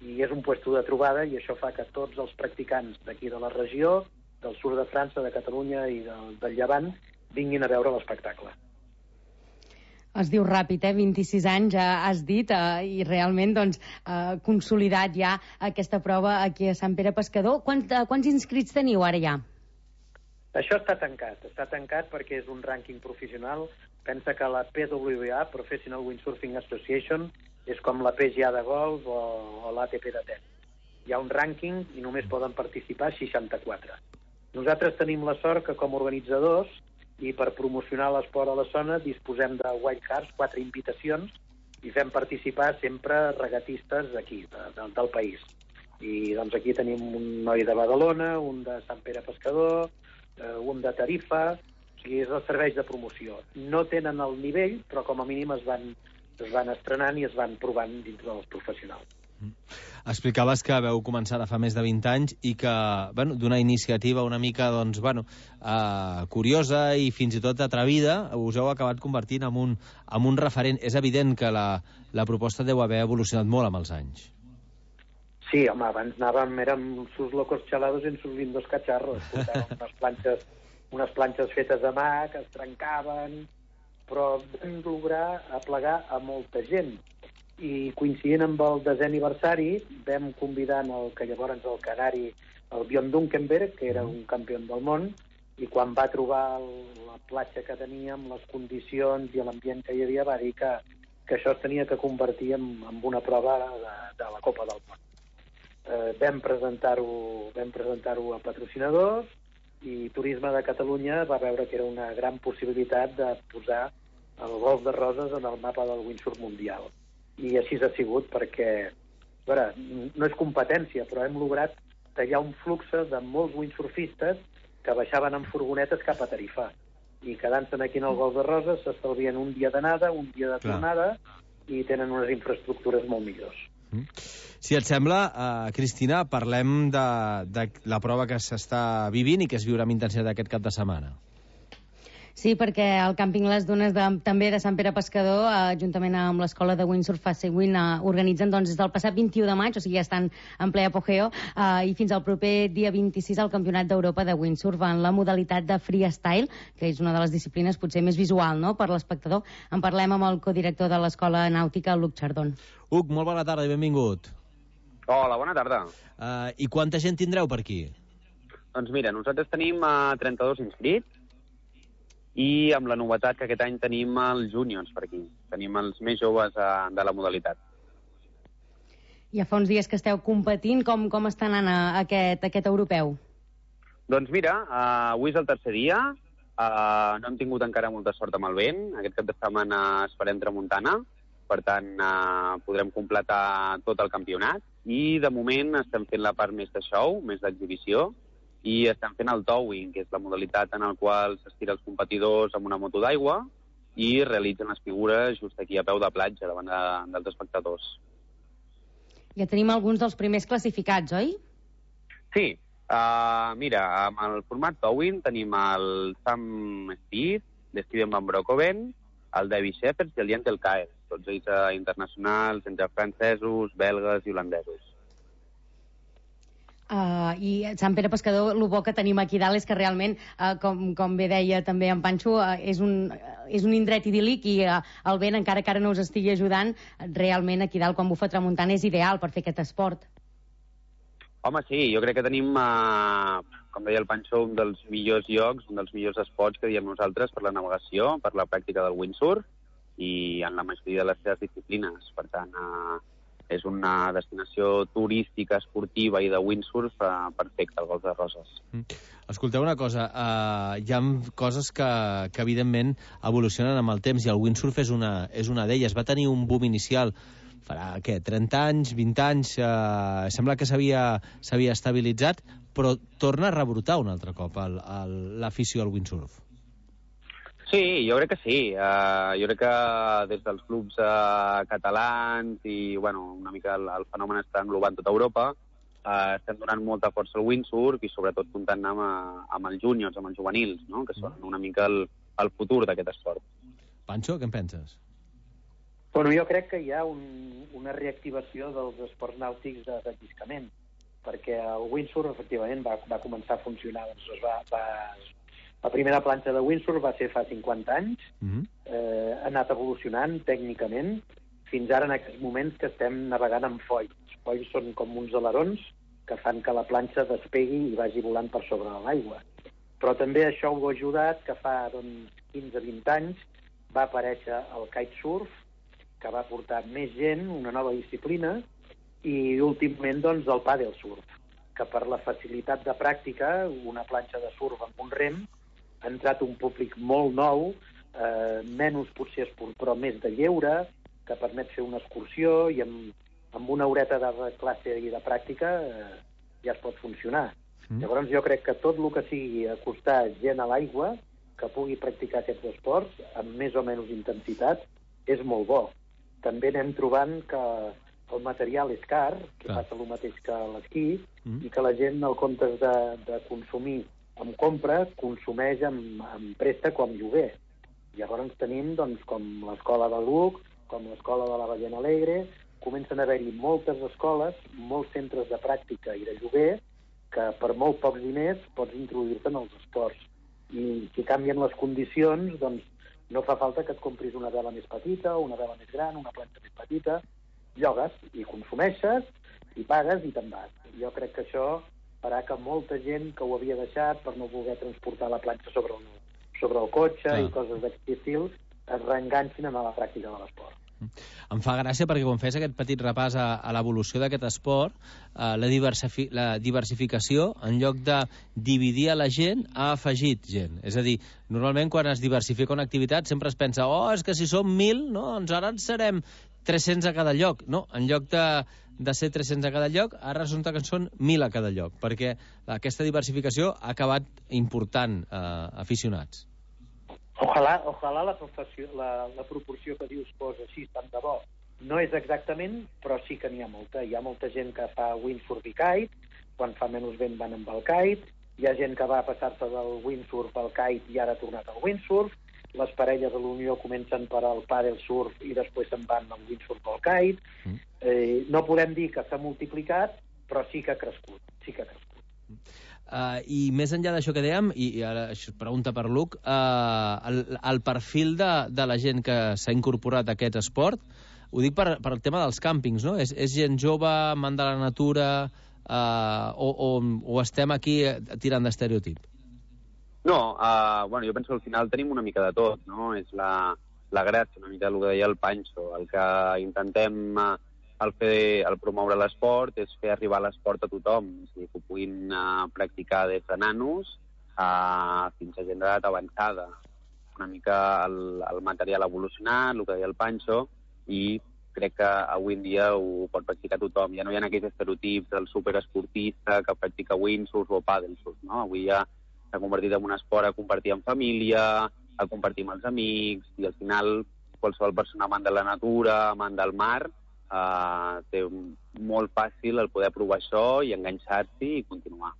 i és un puesto de trobada, i això fa que tots els practicants d'aquí de la regió, del sud de França, de Catalunya i del, del Llevant, vinguin a veure l'espectacle. Es diu ràpid, eh? vint-i-sis anys, ja has dit, eh? i realment doncs, eh, consolidat ja aquesta prova aquí a Sant Pere Pescador. Quants, eh, quants inscrits teniu ara ja? Això està tancat, està tancat perquè és un rànquing professional. Pensa que la P W A, Professional Windsurfing Association, és com la P G A de golf o, o l'A T P de tenis. Hi ha un rànquing i només poden participar seixanta-quatre. Nosaltres tenim la sort que com a organitzadors i per promocionar l'esport a la zona disposem de wildcards, quatre invitacions, i fem participar sempre regatistes d'aquí, de, de, del país. I doncs aquí tenim un noi de Badalona, un de Sant Pere Pescador, eh, un de Tarifa, o sigui, és els serveis de promoció. No tenen el nivell, però com a mínim es van, es van estrenant i es van provant dintre dels professionals. Explicaves que veu començar de fa més de vint anys i que, bueno, d'una iniciativa una mica, doncs, bueno, eh, curiosa i fins i tot atrevida, us heu acabat convertint en un, en un referent. És evident que la, la proposta deu haver evolucionat molt amb els anys. Sí, home, abans anàvem, érem sus locos chalados en sus lindos cacharros. Portàvem unes planxes, unes planxes fetes a mà que es trencaven, però vam lograr aplegar a molta gent. I coincidint amb el desè aniversari vam convidar el que llavors el canari, el Björn Dunkenberg, que era un campió del món, i quan va trobar el, la platja que teníem, les condicions i l'ambient que hi havia, va dir que, que això es tenia que convertir en, en una prova de, de la Copa del Món. Eh, vam presentar-ho vam presentar-ho a patrocinadors i Turisme de Catalunya va veure que era una gran possibilitat de posar el golf de Roses en el mapa del windsurf mundial. I així ha sigut perquè, a veure, no és competència, però hem lograt tallar un flux de molts windsurfistes que baixaven en furgonetes cap a Tarifà. I quedant-se'n aquí en el golf de Roses s'estalvien un dia d'anada, un dia de tornada, i tenen unes infraestructures molt millors. Si et sembla, uh, Cristina, parlem de, de la prova que s'està vivint i que es viurà amb intensitat aquest cap de setmana. Sí, perquè el càmping Les Dunes de, també de Sant Pere Pescador, eh, juntament amb l'escola de windsurf Facewin, eh, organitzen doncs, des del passat vint-i-u de maig, o sigui, ja estan en ple apogeo, eh, i fins al proper dia vint-i-sis al Campionat d'Europa de windsurf en la modalitat de freestyle, que és una de les disciplines potser més visual, no?, per l'espectador. En parlem amb el codirector de l'Escola Nàutica, Luc Chardon. Uc, molt bona tarda i benvingut. Hola, bona tarda. Uh, I quanta gent tindreu per aquí? Doncs mira, nosaltres tenim uh, trenta-dos inscrits, i amb la novetat que aquest any tenim els júniors per aquí. Tenim els més joves uh, de la modalitat. Ja fa uns dies que esteu competint. Com, com està anant aquest, aquest europeu? Doncs mira, uh, avui és el tercer dia. Uh, no hem tingut encara molta sort amb el vent. Aquest cap de setmana esperem tramuntana. Per tant, uh, podrem completar tot el campionat. I de moment estem fent la part més de show, més d'exhibició, i estem fent el towing, que és la modalitat en la qual s'estira els competidors amb una moto d'aigua i realitzen les figures just aquí a peu de platja, davant de, dels espectadors. Ja tenim alguns dels primers classificats, oi? Sí. Uh, mira, amb el format towing tenim el Sam Speed, l'Steven Van Broekhoven, el David Shepard i el Jentel Kael, tots ells uh, internacionals, entre francesos, belgues i holandesos. Uh, I Sant Pere Pescador, el bo que tenim aquí dalt és que realment, uh, com, com bé deia també en Panxo, uh, és, un, uh, és un indret idíl·lic i uh, el vent, encara que ara no us estigui ajudant, realment aquí dalt quan bufa tramuntana és ideal per fer aquest esport. Home, sí, jo crec que tenim, uh, com deia el Panxo, un dels millors llocs, un dels millors esports que diem nosaltres per la navegació, per la pràctica del windsurf i en la majoria de les seves disciplines. Per tant, uh, és una destinació turística, esportiva i de windsurf uh, perfecta, al Golf de Roses. Mm. Escolteu una cosa, uh, hi ha coses que, que evidentment evolucionen amb el temps i el windsurf és una, és una d'elles. Va tenir un boom inicial farà, què, trenta anys, vint anys, uh, sembla que s'havia estabilitzat, però torna a rebrotar un altre cop l'afició al windsurf. Sí, jo crec que sí. Uh, jo crec que des dels clubs uh, catalans i, bueno, una mica el, el fenomen està englobant tota Europa, uh, estem donant molta força al windsurf i sobretot comptant amb, amb els júniors, amb els juvenils, no?, que són una mica el, el futur d'aquest esport. Panxo, què en penses? Bueno, jo crec que hi ha un, una reactivació dels esports nàutics de deslliscament, perquè el windsurf, efectivament, va, va començar a funcionar, doncs es va... va La primera planxa de windsurf va ser fa cinquanta anys, mm-hmm. eh, ha anat evolucionant tècnicament, fins ara en aquests moments que estem navegant amb folls. Els folls són com uns alerons que fan que la planxa despegui i vagi volant per sobre de l'aigua. Però també això ho ha ajudat que fa doncs, quinze a vint anys va aparèixer el kitesurf, que va portar més gent, una nova disciplina, i últimament doncs, el paddlesurf, que per la facilitat de pràctica, una planxa de surf amb un rem, ha entrat un públic molt nou, eh, menys potser esport, però més de lleure, que permet fer una excursió i amb, amb una horeta de classe i de pràctica eh, ja es pot funcionar. Mm. Llavors jo crec que tot el que sigui acostar gent a l'aigua, que pugui practicar aquests esports amb més o menys intensitat, és molt bo. També anem trobant que el material és car, que ah. passa el mateix que l'esquí, mm. i que la gent, al comptes de, de consumir amb compra, consumeix amb, amb préstec o amb lloguer. Llavors tenim, doncs, com l'escola de Luc, com l'escola de la Ballena Alegre, comencen a haver-hi moltes escoles, molts centres de pràctica i de lloguer, que per molt pocs diners pots introduir-te en els esports. I si canvien les condicions, doncs no fa falta que et compris una vela més petita, o una vela més gran, una planxa més petita, llogues i consumeixes, i pagues i te'n vas. Jo crec que això farà que molta gent que ho havia deixat per no voler transportar la planxa sobre el, sobre el cotxe ah. i coses d'aquest estil es reenganxin a la pràctica de l'esport. Em fa gràcia perquè quan fes aquest petit repàs a, a l'evolució d'aquest esport, eh, la, diversifi la diversificació, en lloc de dividir a la gent, ha afegit gent. És a dir, normalment quan es diversifica una activitat sempre es pensa, oh, és que si som mil, no, doncs ara en serem tres-cents a cada lloc. No, en lloc de, de ser tres-cents a cada lloc, ara resulta que en són mil a cada lloc, perquè aquesta diversificació ha acabat important eh, aficionats. Ojalà, ojalà la, la, la proporció que dius fos així, tant de bo. No és exactament, però sí que n'hi ha molta. Hi ha molta gent que fa windsurf i kite, quan fa menys vent van amb el kite, hi ha gent que va passar-se del windsurf al kite i ara ha tornat al windsurf, les parelles de l'Unió comencen per al paddle surf i després se'n van al windsurf al kite. Mm. Eh, no podem dir que s'ha multiplicat, però sí que ha crescut, sí que ha crescut. Uh, I més enllà d'això que dèiem, i, i ara això es pregunta per Luc, uh, el, el perfil de, de la gent que s'ha incorporat a aquest esport, ho dic per, per el tema dels càmpings, no? És, és gent jove, amant de la natura, uh, o, o, o estem aquí tirant d'estereotip? No, uh, bueno, jo penso que al final tenim una mica de tot, no? És la, la gràcia, una mica el que deia el Pancho, el que intentem... Uh, El, fer, el promoure l'esport és fer arribar l'esport a tothom, és a dir, que ho puguin uh, practicar des de nanos uh, fins a gent d'edat avançada. Una mica el, el material ha evolucionat, el que deia el Pancho, i crec que avui en dia ho pot practicar tothom. Ja no hi ha aquells estereotips del superesportista que practica windsurf o paddlesurf, no? Avui ja s'ha convertit en un esport a compartir en família, a compartir amb els amics, i al final qualsevol persona amant de la natura, amant del mar, Uh, té molt fàcil el poder provar això i enganxar-s'hi i continuar.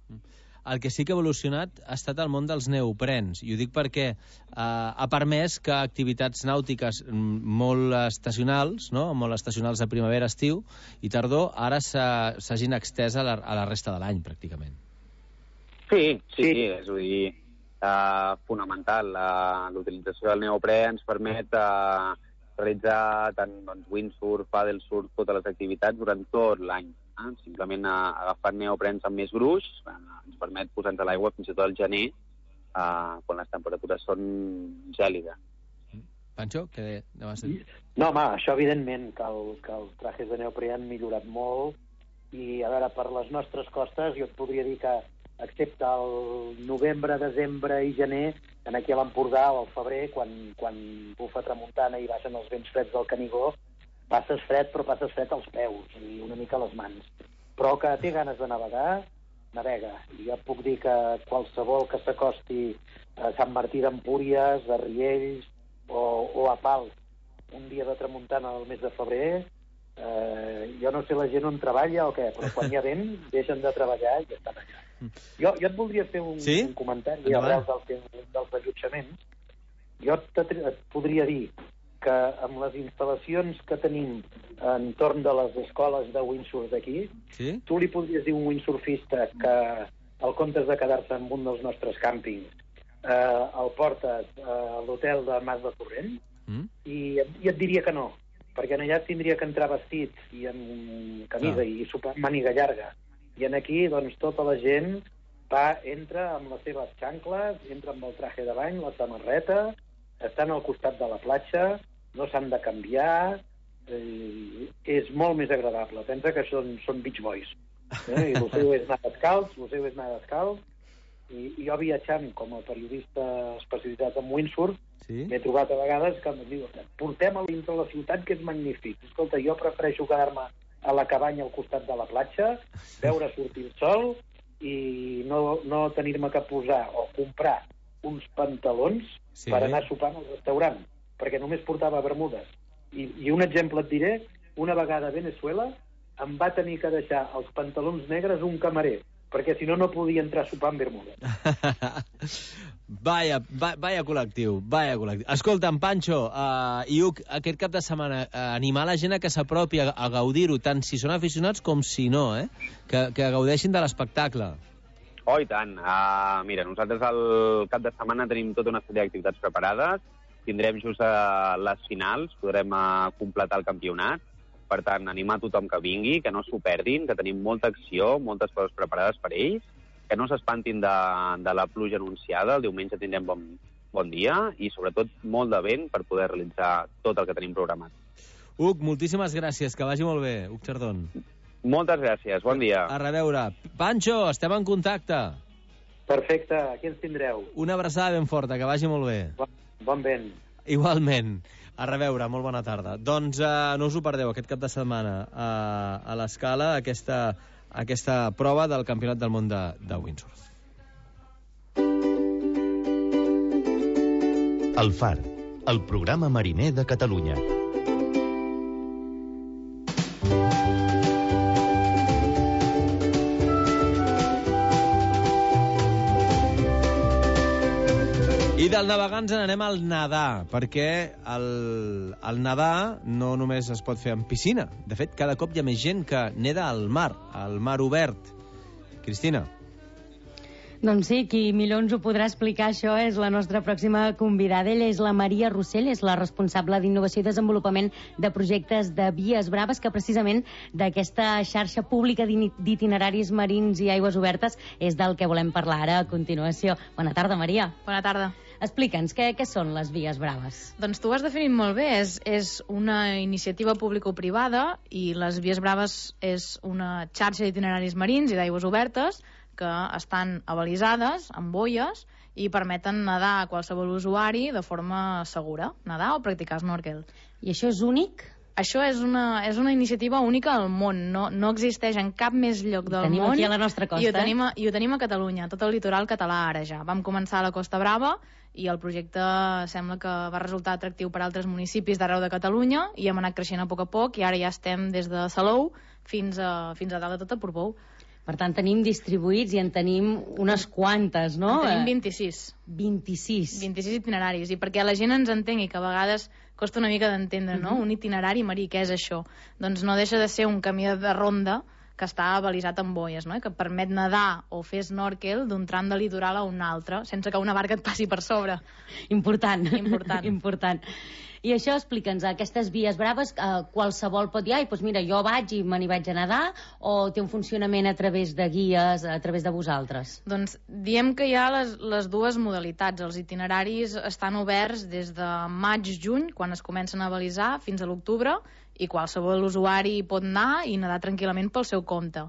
El que sí que ha evolucionat ha estat el món dels neoprens, i ho dic perquè uh, ha permès que activitats nàutiques molt estacionals, no? molt estacionals de primavera, estiu i tardor, ara s'hagin extès a la, a la resta de l'any, pràcticament. Sí, sí, sí, és a dir, uh, fonamental. Uh, l'utilització del neoprè ens permet uh, realitzar tant doncs, windsurf, paddlesurf, totes les activitats durant tot l'any. Eh? Simplement eh, agafant neoprens amb més gruix eh, ens permet posar-nos a l'aigua fins i tot al gener, eh, quan les temperatures són gèlides. Pancho, què anaves a dir? No, home, això evidentment, que, el, que els trajes de neoprè han millorat molt, i a veure, per les nostres costes jo et podria dir que excepte el novembre, desembre i gener, en aquí a l'Empordà o al febrer, quan, quan bufa tramuntana i baixen els vents freds del Canigó, passes fred, però passes fred als peus i una mica a les mans. Però que té ganes de navegar, navega. I jo puc dir que qualsevol que s'acosti a Sant Martí d'Empúries, a Riells o, o a Pals, un dia de tramuntana del mes de febrer, eh, jo no sé la gent on treballa o què, però quan hi ha vent deixen de treballar i estan allà. Jo, jo et voldria fer un, sí? un comentari arrel del, dels allotjaments. Jo et, et podria dir que amb les instal·lacions que tenim entorn de les escoles de windsurf d'aquí, sí? Tu li podries dir a un windsurfista que al comptes de quedar-se en un dels nostres càmpings eh, el portes a l'hotel de Mas de Torrent, mm. i, i et diria que no, perquè allà tindria que entrar vestit i en camisa ah. i sopar amb màniga llarga. I en aquí, doncs, tota la gent va, entra amb les seves xancles, entra amb el traje de bany, la samarreta, estan al costat de la platja, no s'han de canviar, eh, és molt més agradable. Pensa que són, són beach boys. Eh? I el seu és anar descalç, el seu és anar descalç, i, i jo viatjant com a periodista especialitzat en windsurf, sí? M'he trobat a vegades que em diu, portem a dintre la ciutat, que és magnífic. Escolta, jo prefereixo quedar-me a la cabanya al costat de la platja, veure sortir el sol i no, no tenir-me que posar o comprar uns pantalons sí. per anar sopant al restaurant, perquè només portava bermudes. I, I un exemple et diré, una vegada a Venezuela em va tenir que deixar els pantalons negres un camarer, perquè si no, no podia entrar a sopar amb bermudes. Vaya, va, vaya col·lectiu, vaya col·lectiu. Escolta, en Pancho uh, i Uc, aquest cap de setmana, uh, animar la gent a que s'apropi a, a gaudir-ho, tant si són aficionats com si no, eh? Que, que gaudeixin de l'espectacle. Oh, i tant. Uh, mira, nosaltres el cap de setmana tenim tota una sèrie d'activitats preparades. Tindrem just uh, les finals, podrem uh, completar el campionat. Per tant, animar tothom que vingui, que no s'ho perdin, que tenim molta acció, moltes coses preparades per ells, que no s'espantin de, de la pluja anunciada. El diumenge tindrem bon, bon dia i, sobretot, molt de vent per poder realitzar tot el que tenim programat. Huc, moltíssimes gràcies, que vagi molt bé. Huc Chardón. Moltes gràcies, bon dia. A reveure. Pancho, estem en contacte. Perfecte, aquí ens tindreu. Una abraçada ben forta, que vagi molt bé. Bon, bon vent. Igualment. A reveure, molt bona tarda. Doncs uh, no us ho perdeu aquest cap de setmana a, a l'Escala, aquesta, aquesta prova del Campionat del Món de, de Windsurf. El Far, el programa mariner de Catalunya. I del navegar ens n'anem al nedar, perquè el, el nedar no només es pot fer en piscina. De fet, cada cop hi ha més gent que neda al mar, al mar obert. Cristina. Doncs sí, qui millor ens ho podrà explicar això és la nostra pròxima convidada. Ella és la Maria Rossell, és la responsable d'Innovació i Desenvolupament de projectes de Vies Braves, que precisament d'aquesta xarxa pública d'itineraris marins i aigües obertes és del que volem parlar ara a continuació. Bona tarda, Maria. Bona tarda. Explica'ns, què, què són les Vies Braves? Doncs tu ho has definit molt bé. És, és una iniciativa público-privada i les Vies Braves és una xarxa d'itineraris marins i d'aigües obertes que estan avalisades amb boies i permeten nedar a qualsevol usuari de forma segura, nedar o practicar snorkel. I això és únic? Això és una, és una iniciativa única al món, no, no existeix en cap més lloc del tenim món. Aquí a la nostra costa. I ho, tenim a, I ho tenim a Catalunya, tot el litoral català ara ja. Vam començar a la Costa Brava i el projecte sembla que va resultar atractiu per a altres municipis d'arreu de Catalunya i hem anat creixent a poc a poc i ara ja estem des de Salou fins a, fins a dalt de tot a Portbou. Per tant, tenim distribuïts i en tenim unes quantes, no? En tenim vint-i-sis. vint-i-sis. vint-i-sis itineraris. I perquè la gent ens entengui, que a vegades costa una mica d'entendre, no? Uh-huh. Un itinerari marí, què és això? Doncs no deixa de ser un camí de ronda que està avalisat amb boies, no? Que permet nedar o fer snorkel d'un tram de litoral a un altre, sense que una barca et passi per sobre. Important. Important. Important. I això, explica'ns, aquestes Vies Braves, eh, qualsevol pot dir, ai, doncs mira, jo vaig i me n'hi vaig a nedar, o té un funcionament a través de guies, a través de vosaltres? Doncs diem que hi ha les, les dues modalitats. Els itineraris estan oberts des de maig-juny, quan es comencen a avalisar, fins a l'octubre, i qualsevol usuari pot anar i nedar tranquil·lament pel seu compte.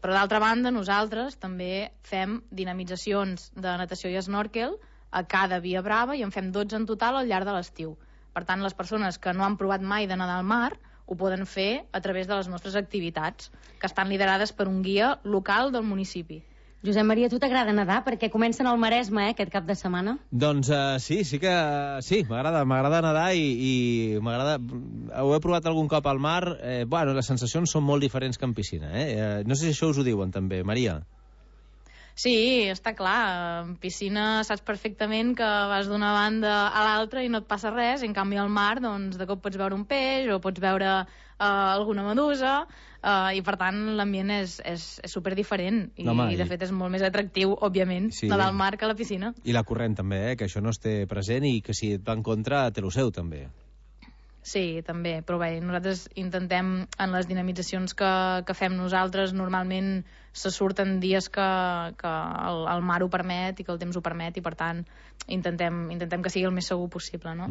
Però d'altra banda, nosaltres també fem dinamitzacions de natació i snorkel a cada Via Brava i en fem dotze en total al llarg de l'estiu. Per tant, les persones que no han provat mai de nedar al mar ho poden fer a través de les nostres activitats, que estan liderades per un guia local del municipi. Josep Maria, a tu t'agrada nedar? Perquè comencen al Maresme, eh, aquest cap de setmana. Doncs uh, sí, sí que sí, m'agrada m'agrada nedar i, i m'agrada... Ho he provat algun cop al mar. Eh, bueno, les sensacions són molt diferents que en piscina. Eh? Eh, no sé si això us ho diuen també, Maria. Sí, està clar. En piscina saps perfectament que vas d'una banda a l'altra i no et passa res. En canvi, al mar, doncs, de cop pots veure un peix o pots veure uh, alguna medusa uh, i, per tant, l'ambient és, és, és superdiferent. I, no, i, de fet, és molt més atractiu, òbviament, sí, nedar al mar que a la piscina. I la corrent, també, eh? Que això no es té present i que si et va en contra, té el seu, també. Sí, també, però bé, nosaltres intentem, en les dinamitzacions que, que fem nosaltres, normalment se surten dies que, que el, el mar ho permet i que el temps ho permet i, per tant, intentem, intentem que sigui el més segur possible, no?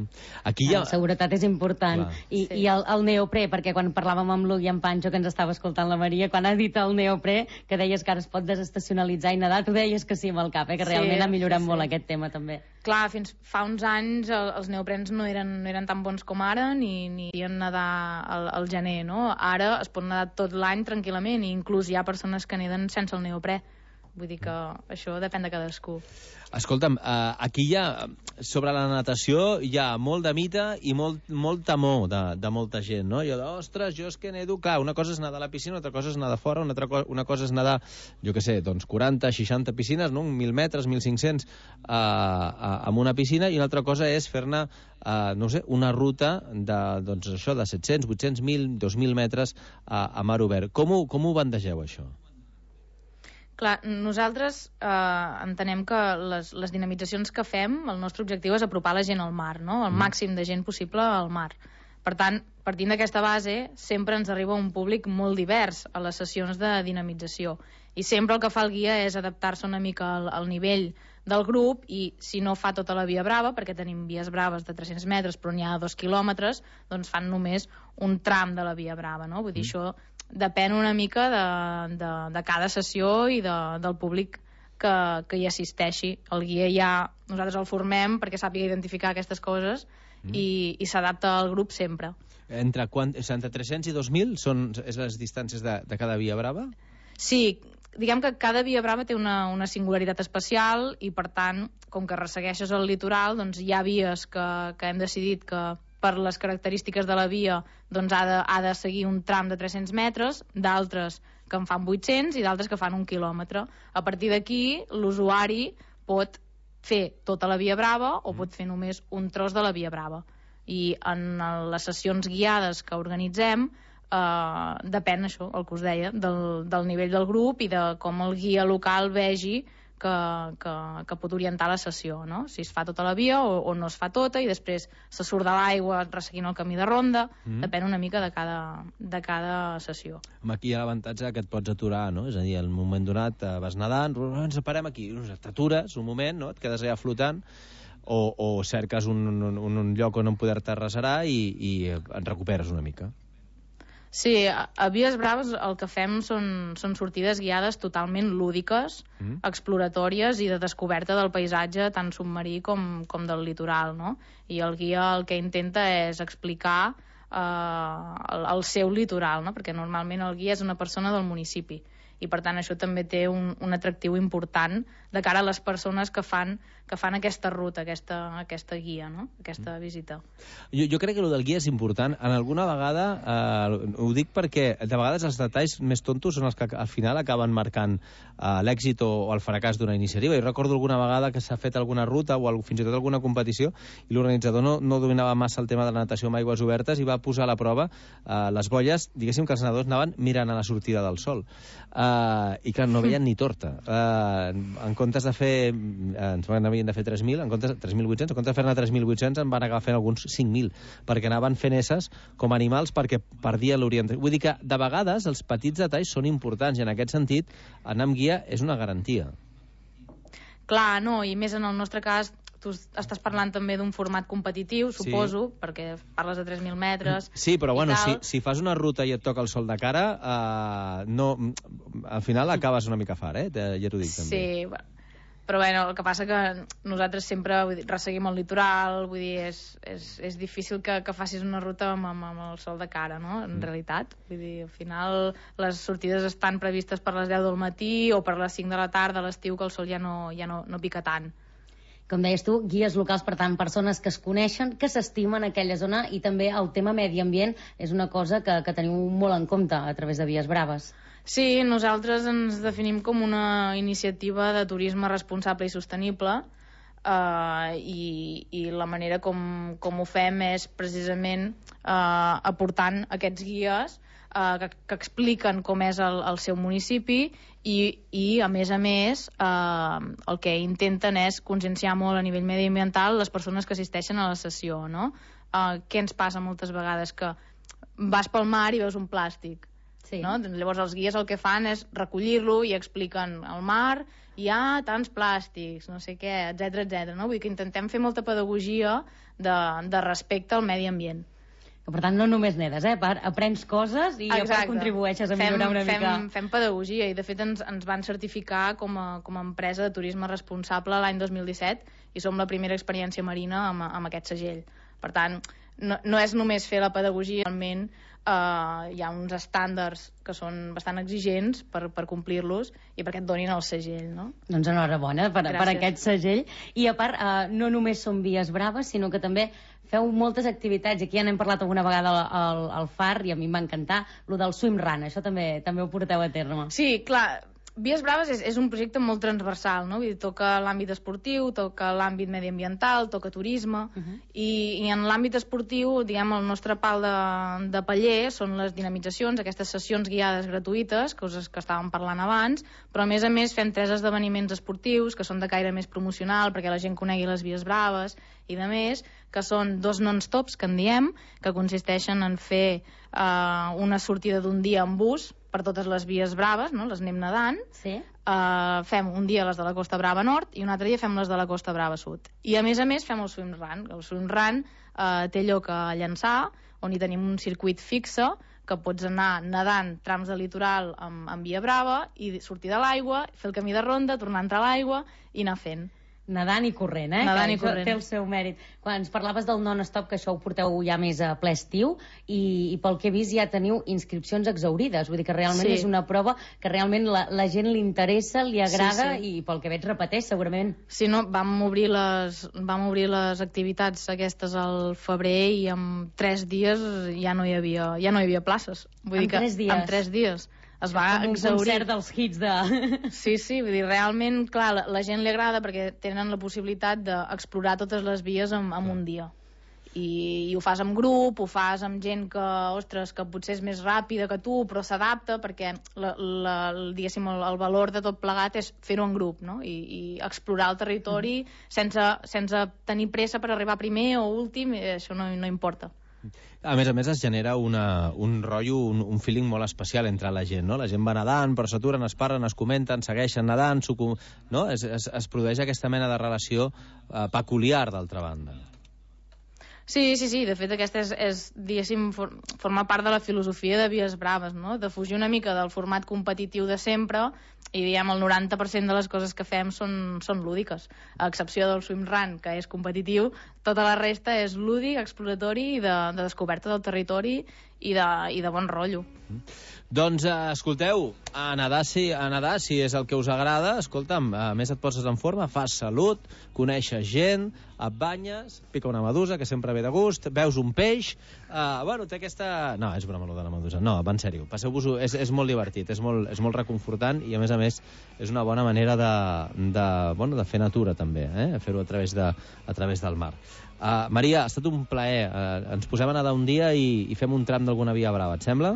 Aquí ja... La seguretat és important. Clar. I, sí. I el, el neoprè, perquè quan parlàvem amb l'Huc i en Pancho, que ens estava escoltant la Maria, quan ha dit el neoprè, que deies que ara es pot desestacionalitzar i nedar, tu deies que sí amb el cap, eh? Que sí, realment ha millorat sí, sí. molt aquest tema, també. Clar, fins fa uns anys el, els neoprens no eren, no eren tan bons com ara, ni, ni podien nedar al, al gener, no? Ara es pot nedar tot l'any tranquil·lament i inclús hi ha persones que neden sense el neoprè. Vull dir que això depèn de cadascú. Escolta'm, uh, aquí hi ha, sobre la natació, hi ha molt de mite i molt, molt temor de, de molta gent, no? Jo, ostres, jo és que nedo, clar, una cosa és nedar a la piscina, una altra cosa és nedar fora, una altra co una cosa és nedar, jo què sé, doncs quaranta, seixanta piscines, no? mil metres, mil cinc-cents uh, uh, amb una piscina, i una altra cosa és fer-ne, uh, no sé, una ruta de, doncs això, de set-cents, vuit-cents, mil, dos mil metres uh, a mar obert. Com ho, com ho bandegeu, això? Clar, nosaltres eh, entenem que les, les dinamitzacions que fem, el nostre objectiu és apropar la gent al mar, no? El màxim de gent possible al mar. Per tant, partint d'aquesta base, sempre ens arriba un públic molt divers a les sessions de dinamització. I sempre el que fa el guia és adaptar-se una mica al, al nivell del grup, i si no fa tota la via brava, perquè tenim vies braves de tres-cents metres però n'hi ha dos quilòmetres, doncs fan només un tram de la via brava, no? Vull dir, mm. això depèn una mica de, de, de cada sessió i de, del públic que, que hi assisteixi. El guia ja, nosaltres el formem perquè sàpiga identificar aquestes coses mm. i, i s'adapta al grup sempre. Entre, quant, entre tres-cents i dos mil són és les distàncies de, de cada via brava? Sí, diguem que cada via brava té una, una singularitat especial i, per tant, com que ressegueixes el litoral, doncs hi ha vies que, que hem decidit que per les característiques de la via doncs ha, de, ha de seguir un tram de tres-cents metres, d'altres que en fan vuit-cents i d'altres que fan un quilòmetre. A partir d'aquí, l'usuari pot fer tota la via brava o pot fer només un tros de la via brava. I en les sessions guiades que organitzem, Uh, depèn, això, el que us deia, del, del nivell del grup i de com el guia local vegi que, que, que pot orientar la sessió, no? Si es fa tota la via o, o no es fa tota i després se surt de l'aigua resseguint el camí de ronda, mm. depèn una mica de cada, de cada sessió. Aquí hi ha l'avantatge que et pots aturar, no? És a dir, en un moment donat vas nedant, ens parem aquí, t'atures un moment, no? Et quedes allà flotant, o, o cerques un, un, un lloc on poder-te arrasserar i, i et recuperes una mica. Sí, a, a Vies Braves el que fem són, són sortides guiades totalment lúdiques, mm. exploratòries i de descoberta del paisatge tant submarí com, com del litoral, no? I el guia el que intenta és explicar eh, el, el seu litoral, no? Perquè normalment el guia és una persona del municipi i per tant això també té un, un atractiu important de cara a les persones que fan, que fan aquesta ruta, aquesta, aquesta guia, no? Aquesta visita. Jo, jo crec que el del guia és important. En alguna vegada, eh, ho dic perquè de vegades els detalls més tontos són els que al final acaben marcant eh, l'èxit o, o el fracàs d'una iniciativa. Jo recordo alguna vegada que s'ha fet alguna ruta o fins i tot alguna competició i l'organitzador no, no dominava massa el tema de la natació amb aigües obertes i va posar a la prova eh, les bolles, diguéssim que els nedadors anaven mirant a la sortida del sol. Uh, i que no veien ni torta. Uh, en comptes de fer uh, ens van havien de fer tres mil, en comptes tres mil vuit-cents, en comptes de fer-ne tres mil vuit-cents en van acabar fent alguns cinc mil, perquè anaven fent esses com animals perquè perdia l'orientació. Vull dir que de vegades els petits detalls són importants i en aquest sentit anar amb guia és una garantia. Clar, no, i més en el nostre cas tu estàs parlant també d'un format competitiu, suposo, sí. Perquè parles de tres mil metres. Sí, però bueno, si, si fas una ruta i et toca el sol de cara, uh, no, al final acabes una mica fart, eh? Ja t'ho dic també. Sí, bueno. Però bueno, el que passa que nosaltres sempre vull dir, resseguim el litoral, vull dir, és, és, és difícil que, que facis una ruta amb, amb, amb el sol de cara, no? En mm. realitat. Vull dir, al final les sortides estan previstes per les deu del matí o per les cinc de la tarda a l'estiu, que el sol ja no, ja no, no pica tant. Com deies tu, guies locals, per tant, persones que es coneixen, que s'estimen aquella zona, i també el tema medi ambient és una cosa que, que teniu molt en compte a través de Vies Braves. Sí, nosaltres ens definim com una iniciativa de turisme responsable i sostenible eh, i, i la manera com, com ho fem és precisament eh, aportant aquests guies eh, que, que expliquen com és el, el seu municipi i, i a més a més eh, el que intenten és conscienciar molt a nivell mediambiental les persones que assisteixen a la sessió, no? Eh, què ens passa moltes vegades? Que vas pel mar i veus un plàstic. Sí. No? Llavors els guies el que fan és recollir-lo i expliquen al mar hi ha tants plàstics, no sé què, etcètera, etcètera. No? Vull dir que intentem fer molta pedagogia de, de respecte al medi ambient. Que, per tant, no només nedes, eh? Aprens coses i a part contribueixes a millorar fem, una fem, mica. Fem pedagogia i, de fet, ens, ens van certificar com a, com a empresa de turisme responsable l'any dos mil disset i som la primera experiència marina amb, amb aquest segell. Per tant, no, no és només fer la pedagogia, realment Uh, hi ha uns estàndards que són bastant exigents per, per complir-los i perquè et donin el segell, no? Doncs enhorabona per, per aquest segell. I a part, uh, no només són Vies Braves, sinó que també feu moltes activitats. Aquí ja n'hem parlat alguna vegada al, al, al Far i a mi em va encantar, lo del swim run, això també també ho porteu a terme. Sí, clar, Vies Braves és, és un projecte molt transversal, no? Vull dir, toca l'àmbit esportiu, toca l'àmbit mediambiental, toca turisme, uh -huh. i, i en l'àmbit esportiu, diguem, el nostre pal de, de paller són les dinamitzacions, aquestes sessions guiades gratuïtes, coses que estàvem parlant abans, però a més a més fem tres esdeveniments esportius que són de caire més promocional perquè la gent conegui les Vies Braves i de més, que són dos non-stops, que en diem, que consisteixen en fer eh, una sortida d'un dia en bus per totes les Vies Braves, no? Les anem nedant. Sí. Uh, fem un dia les de la Costa Brava Nord i un altre dia fem les de la Costa Brava Sud. I a més a més fem el swim run. El swim run uh, té lloc a Llançà, on hi tenim un circuit fixe que pots anar nedant trams de litoral amb, amb Via Brava i sortir de l'aigua, fer el camí de ronda, tornar a entrar a l'aigua i anar fent. Nedant i corrent, eh? Nedant que i corrent. Té el seu mèrit. Quan ens parlaves del non-stop, que això ho porteu ja més a ple estiu, i, i pel que he vist ja teniu inscripcions exaurides. Vull dir que realment Sí. és una prova que realment la, la gent li interessa, li agrada, Sí, sí. i pel que veig repeteix, segurament. Sí, no, vam obrir les, vam obrir les activitats aquestes al febrer i en tres dies ja no hi havia, ja no hi havia places. Vull En dir que, tres dies? En tres dies. Es va Com un exaurir. concert dels hits de... Sí, sí, vull dir, realment, clar, la, la gent li agrada perquè tenen la possibilitat d'explorar totes les vies en, en un dia. I, I ho fas amb grup, ho fas amb gent que, ostres, que potser és més ràpida que tu, però s'adapta, perquè la, la, el, diguéssim, el, el valor de tot plegat és fer-ho en grup, no? I, i explorar el territori mm. sense, sense tenir pressa per arribar primer o últim, això no, no importa. A més a més, es genera una, un rotllo, un, un feeling molt especial entre la gent, no? La gent va nedant, però s'aturen, es parlen, es comenten, segueixen nedant, no? Es, es, es produeix aquesta mena de relació eh, peculiar, d'altra banda. Sí, sí, sí, de fet aquesta és, és diguéssim, for, forma part de la filosofia de Vies Braves, no? De fugir una mica del format competitiu de sempre i, diguem, el noranta per cent de les coses que fem són, són lúdiques, a excepció del swim run, que és competitiu, tota la resta és lúdic, exploratori i de, de descoberta del territori i de, i de bon rotllo. Doncs, eh, escolteu, a nedar, si, a nedar, si és el que us agrada, escolta'm, a més et poses en forma, fas salut, coneixes gent, et banyes, pica una medusa, que sempre ve de gust, veus un peix, eh, bueno, té aquesta... No, és broma, de la medusa, no, va en sèrio, passeu-vos-ho, és, és molt divertit, és molt, és molt reconfortant i, a més a més, és una bona manera de, de, bueno, de fer natura, també, eh? Fer-ho a, través de, a través del mar. Uh, Maria, ha estat un plaer, uh, ens posem a nedar un dia i, i fem un tram d'alguna Via Brava, et sembla?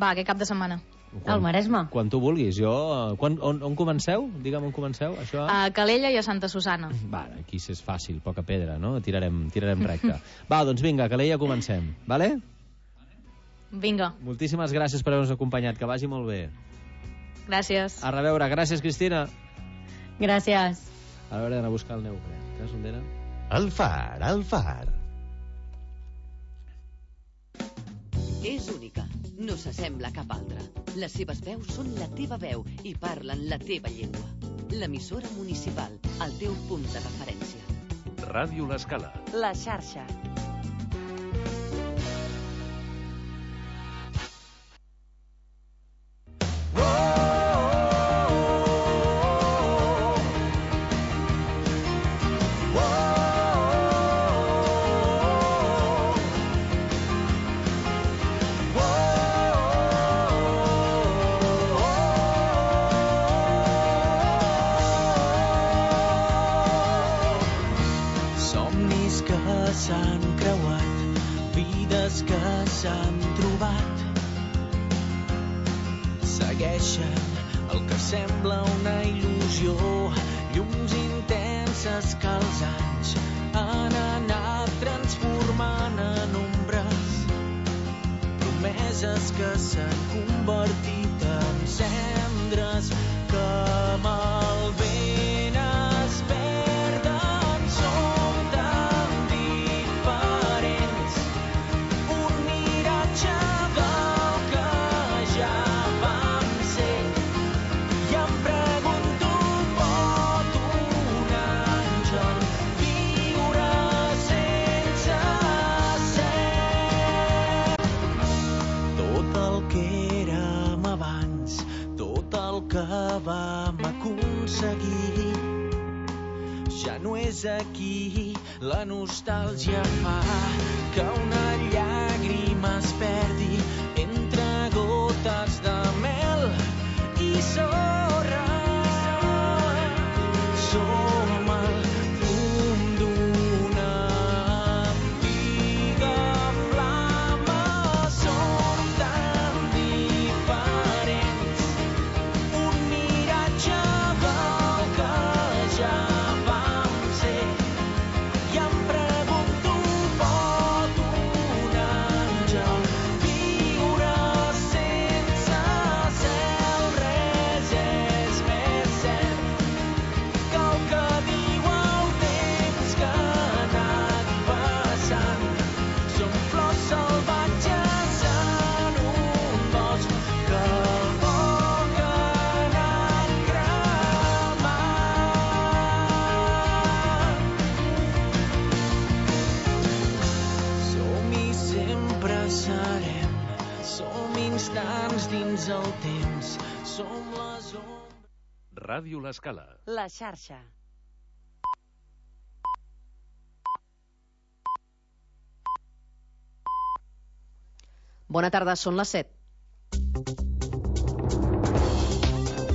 Va, aquest cap de setmana. Quan, al Maresme. Quan tu vulguis. Jo, quan, on, on comenceu? Digue'm on comenceu, això. A Calella i a Santa Susana. Va, aquí és fàcil, poca pedra, no? Tirarem, tirarem recte. Va, doncs vinga, a Calella comencem, vale? Vinga. Moltíssimes gràcies per haver-nos acompanyat, que vagi molt bé. Gràcies. A reveure, gràcies, Cristina. Gràcies. Ara hauré d'anar a buscar el neure. Saps on era? El far, el far. És única, no s'assembla a cap altra. Les seves veus són la teva veu i parlen la teva llengua. L'emissora municipal, el teu punt de referència. Ràdio L'Escala. La xarxa. s'han creuat, vides que s'han trobat. Segueixen el que sembla una il·lusió, llums intenses que els anys han anat transformant en ombres, promeses que s'han convertit en cendres que amb el vent es perden. Som tan diferents, un miratge del que ja vam ser, i em pregunto, pot un àngel viure sense ser? Tot el que érem abans, tot el que vam aconseguir, ja no és aquí. La nostàlgia fa que una llàgrima es perdi entre gotes de mel i sol. som les ombres. Ràdio L'Escala. La xarxa. Bona tarda, són les set.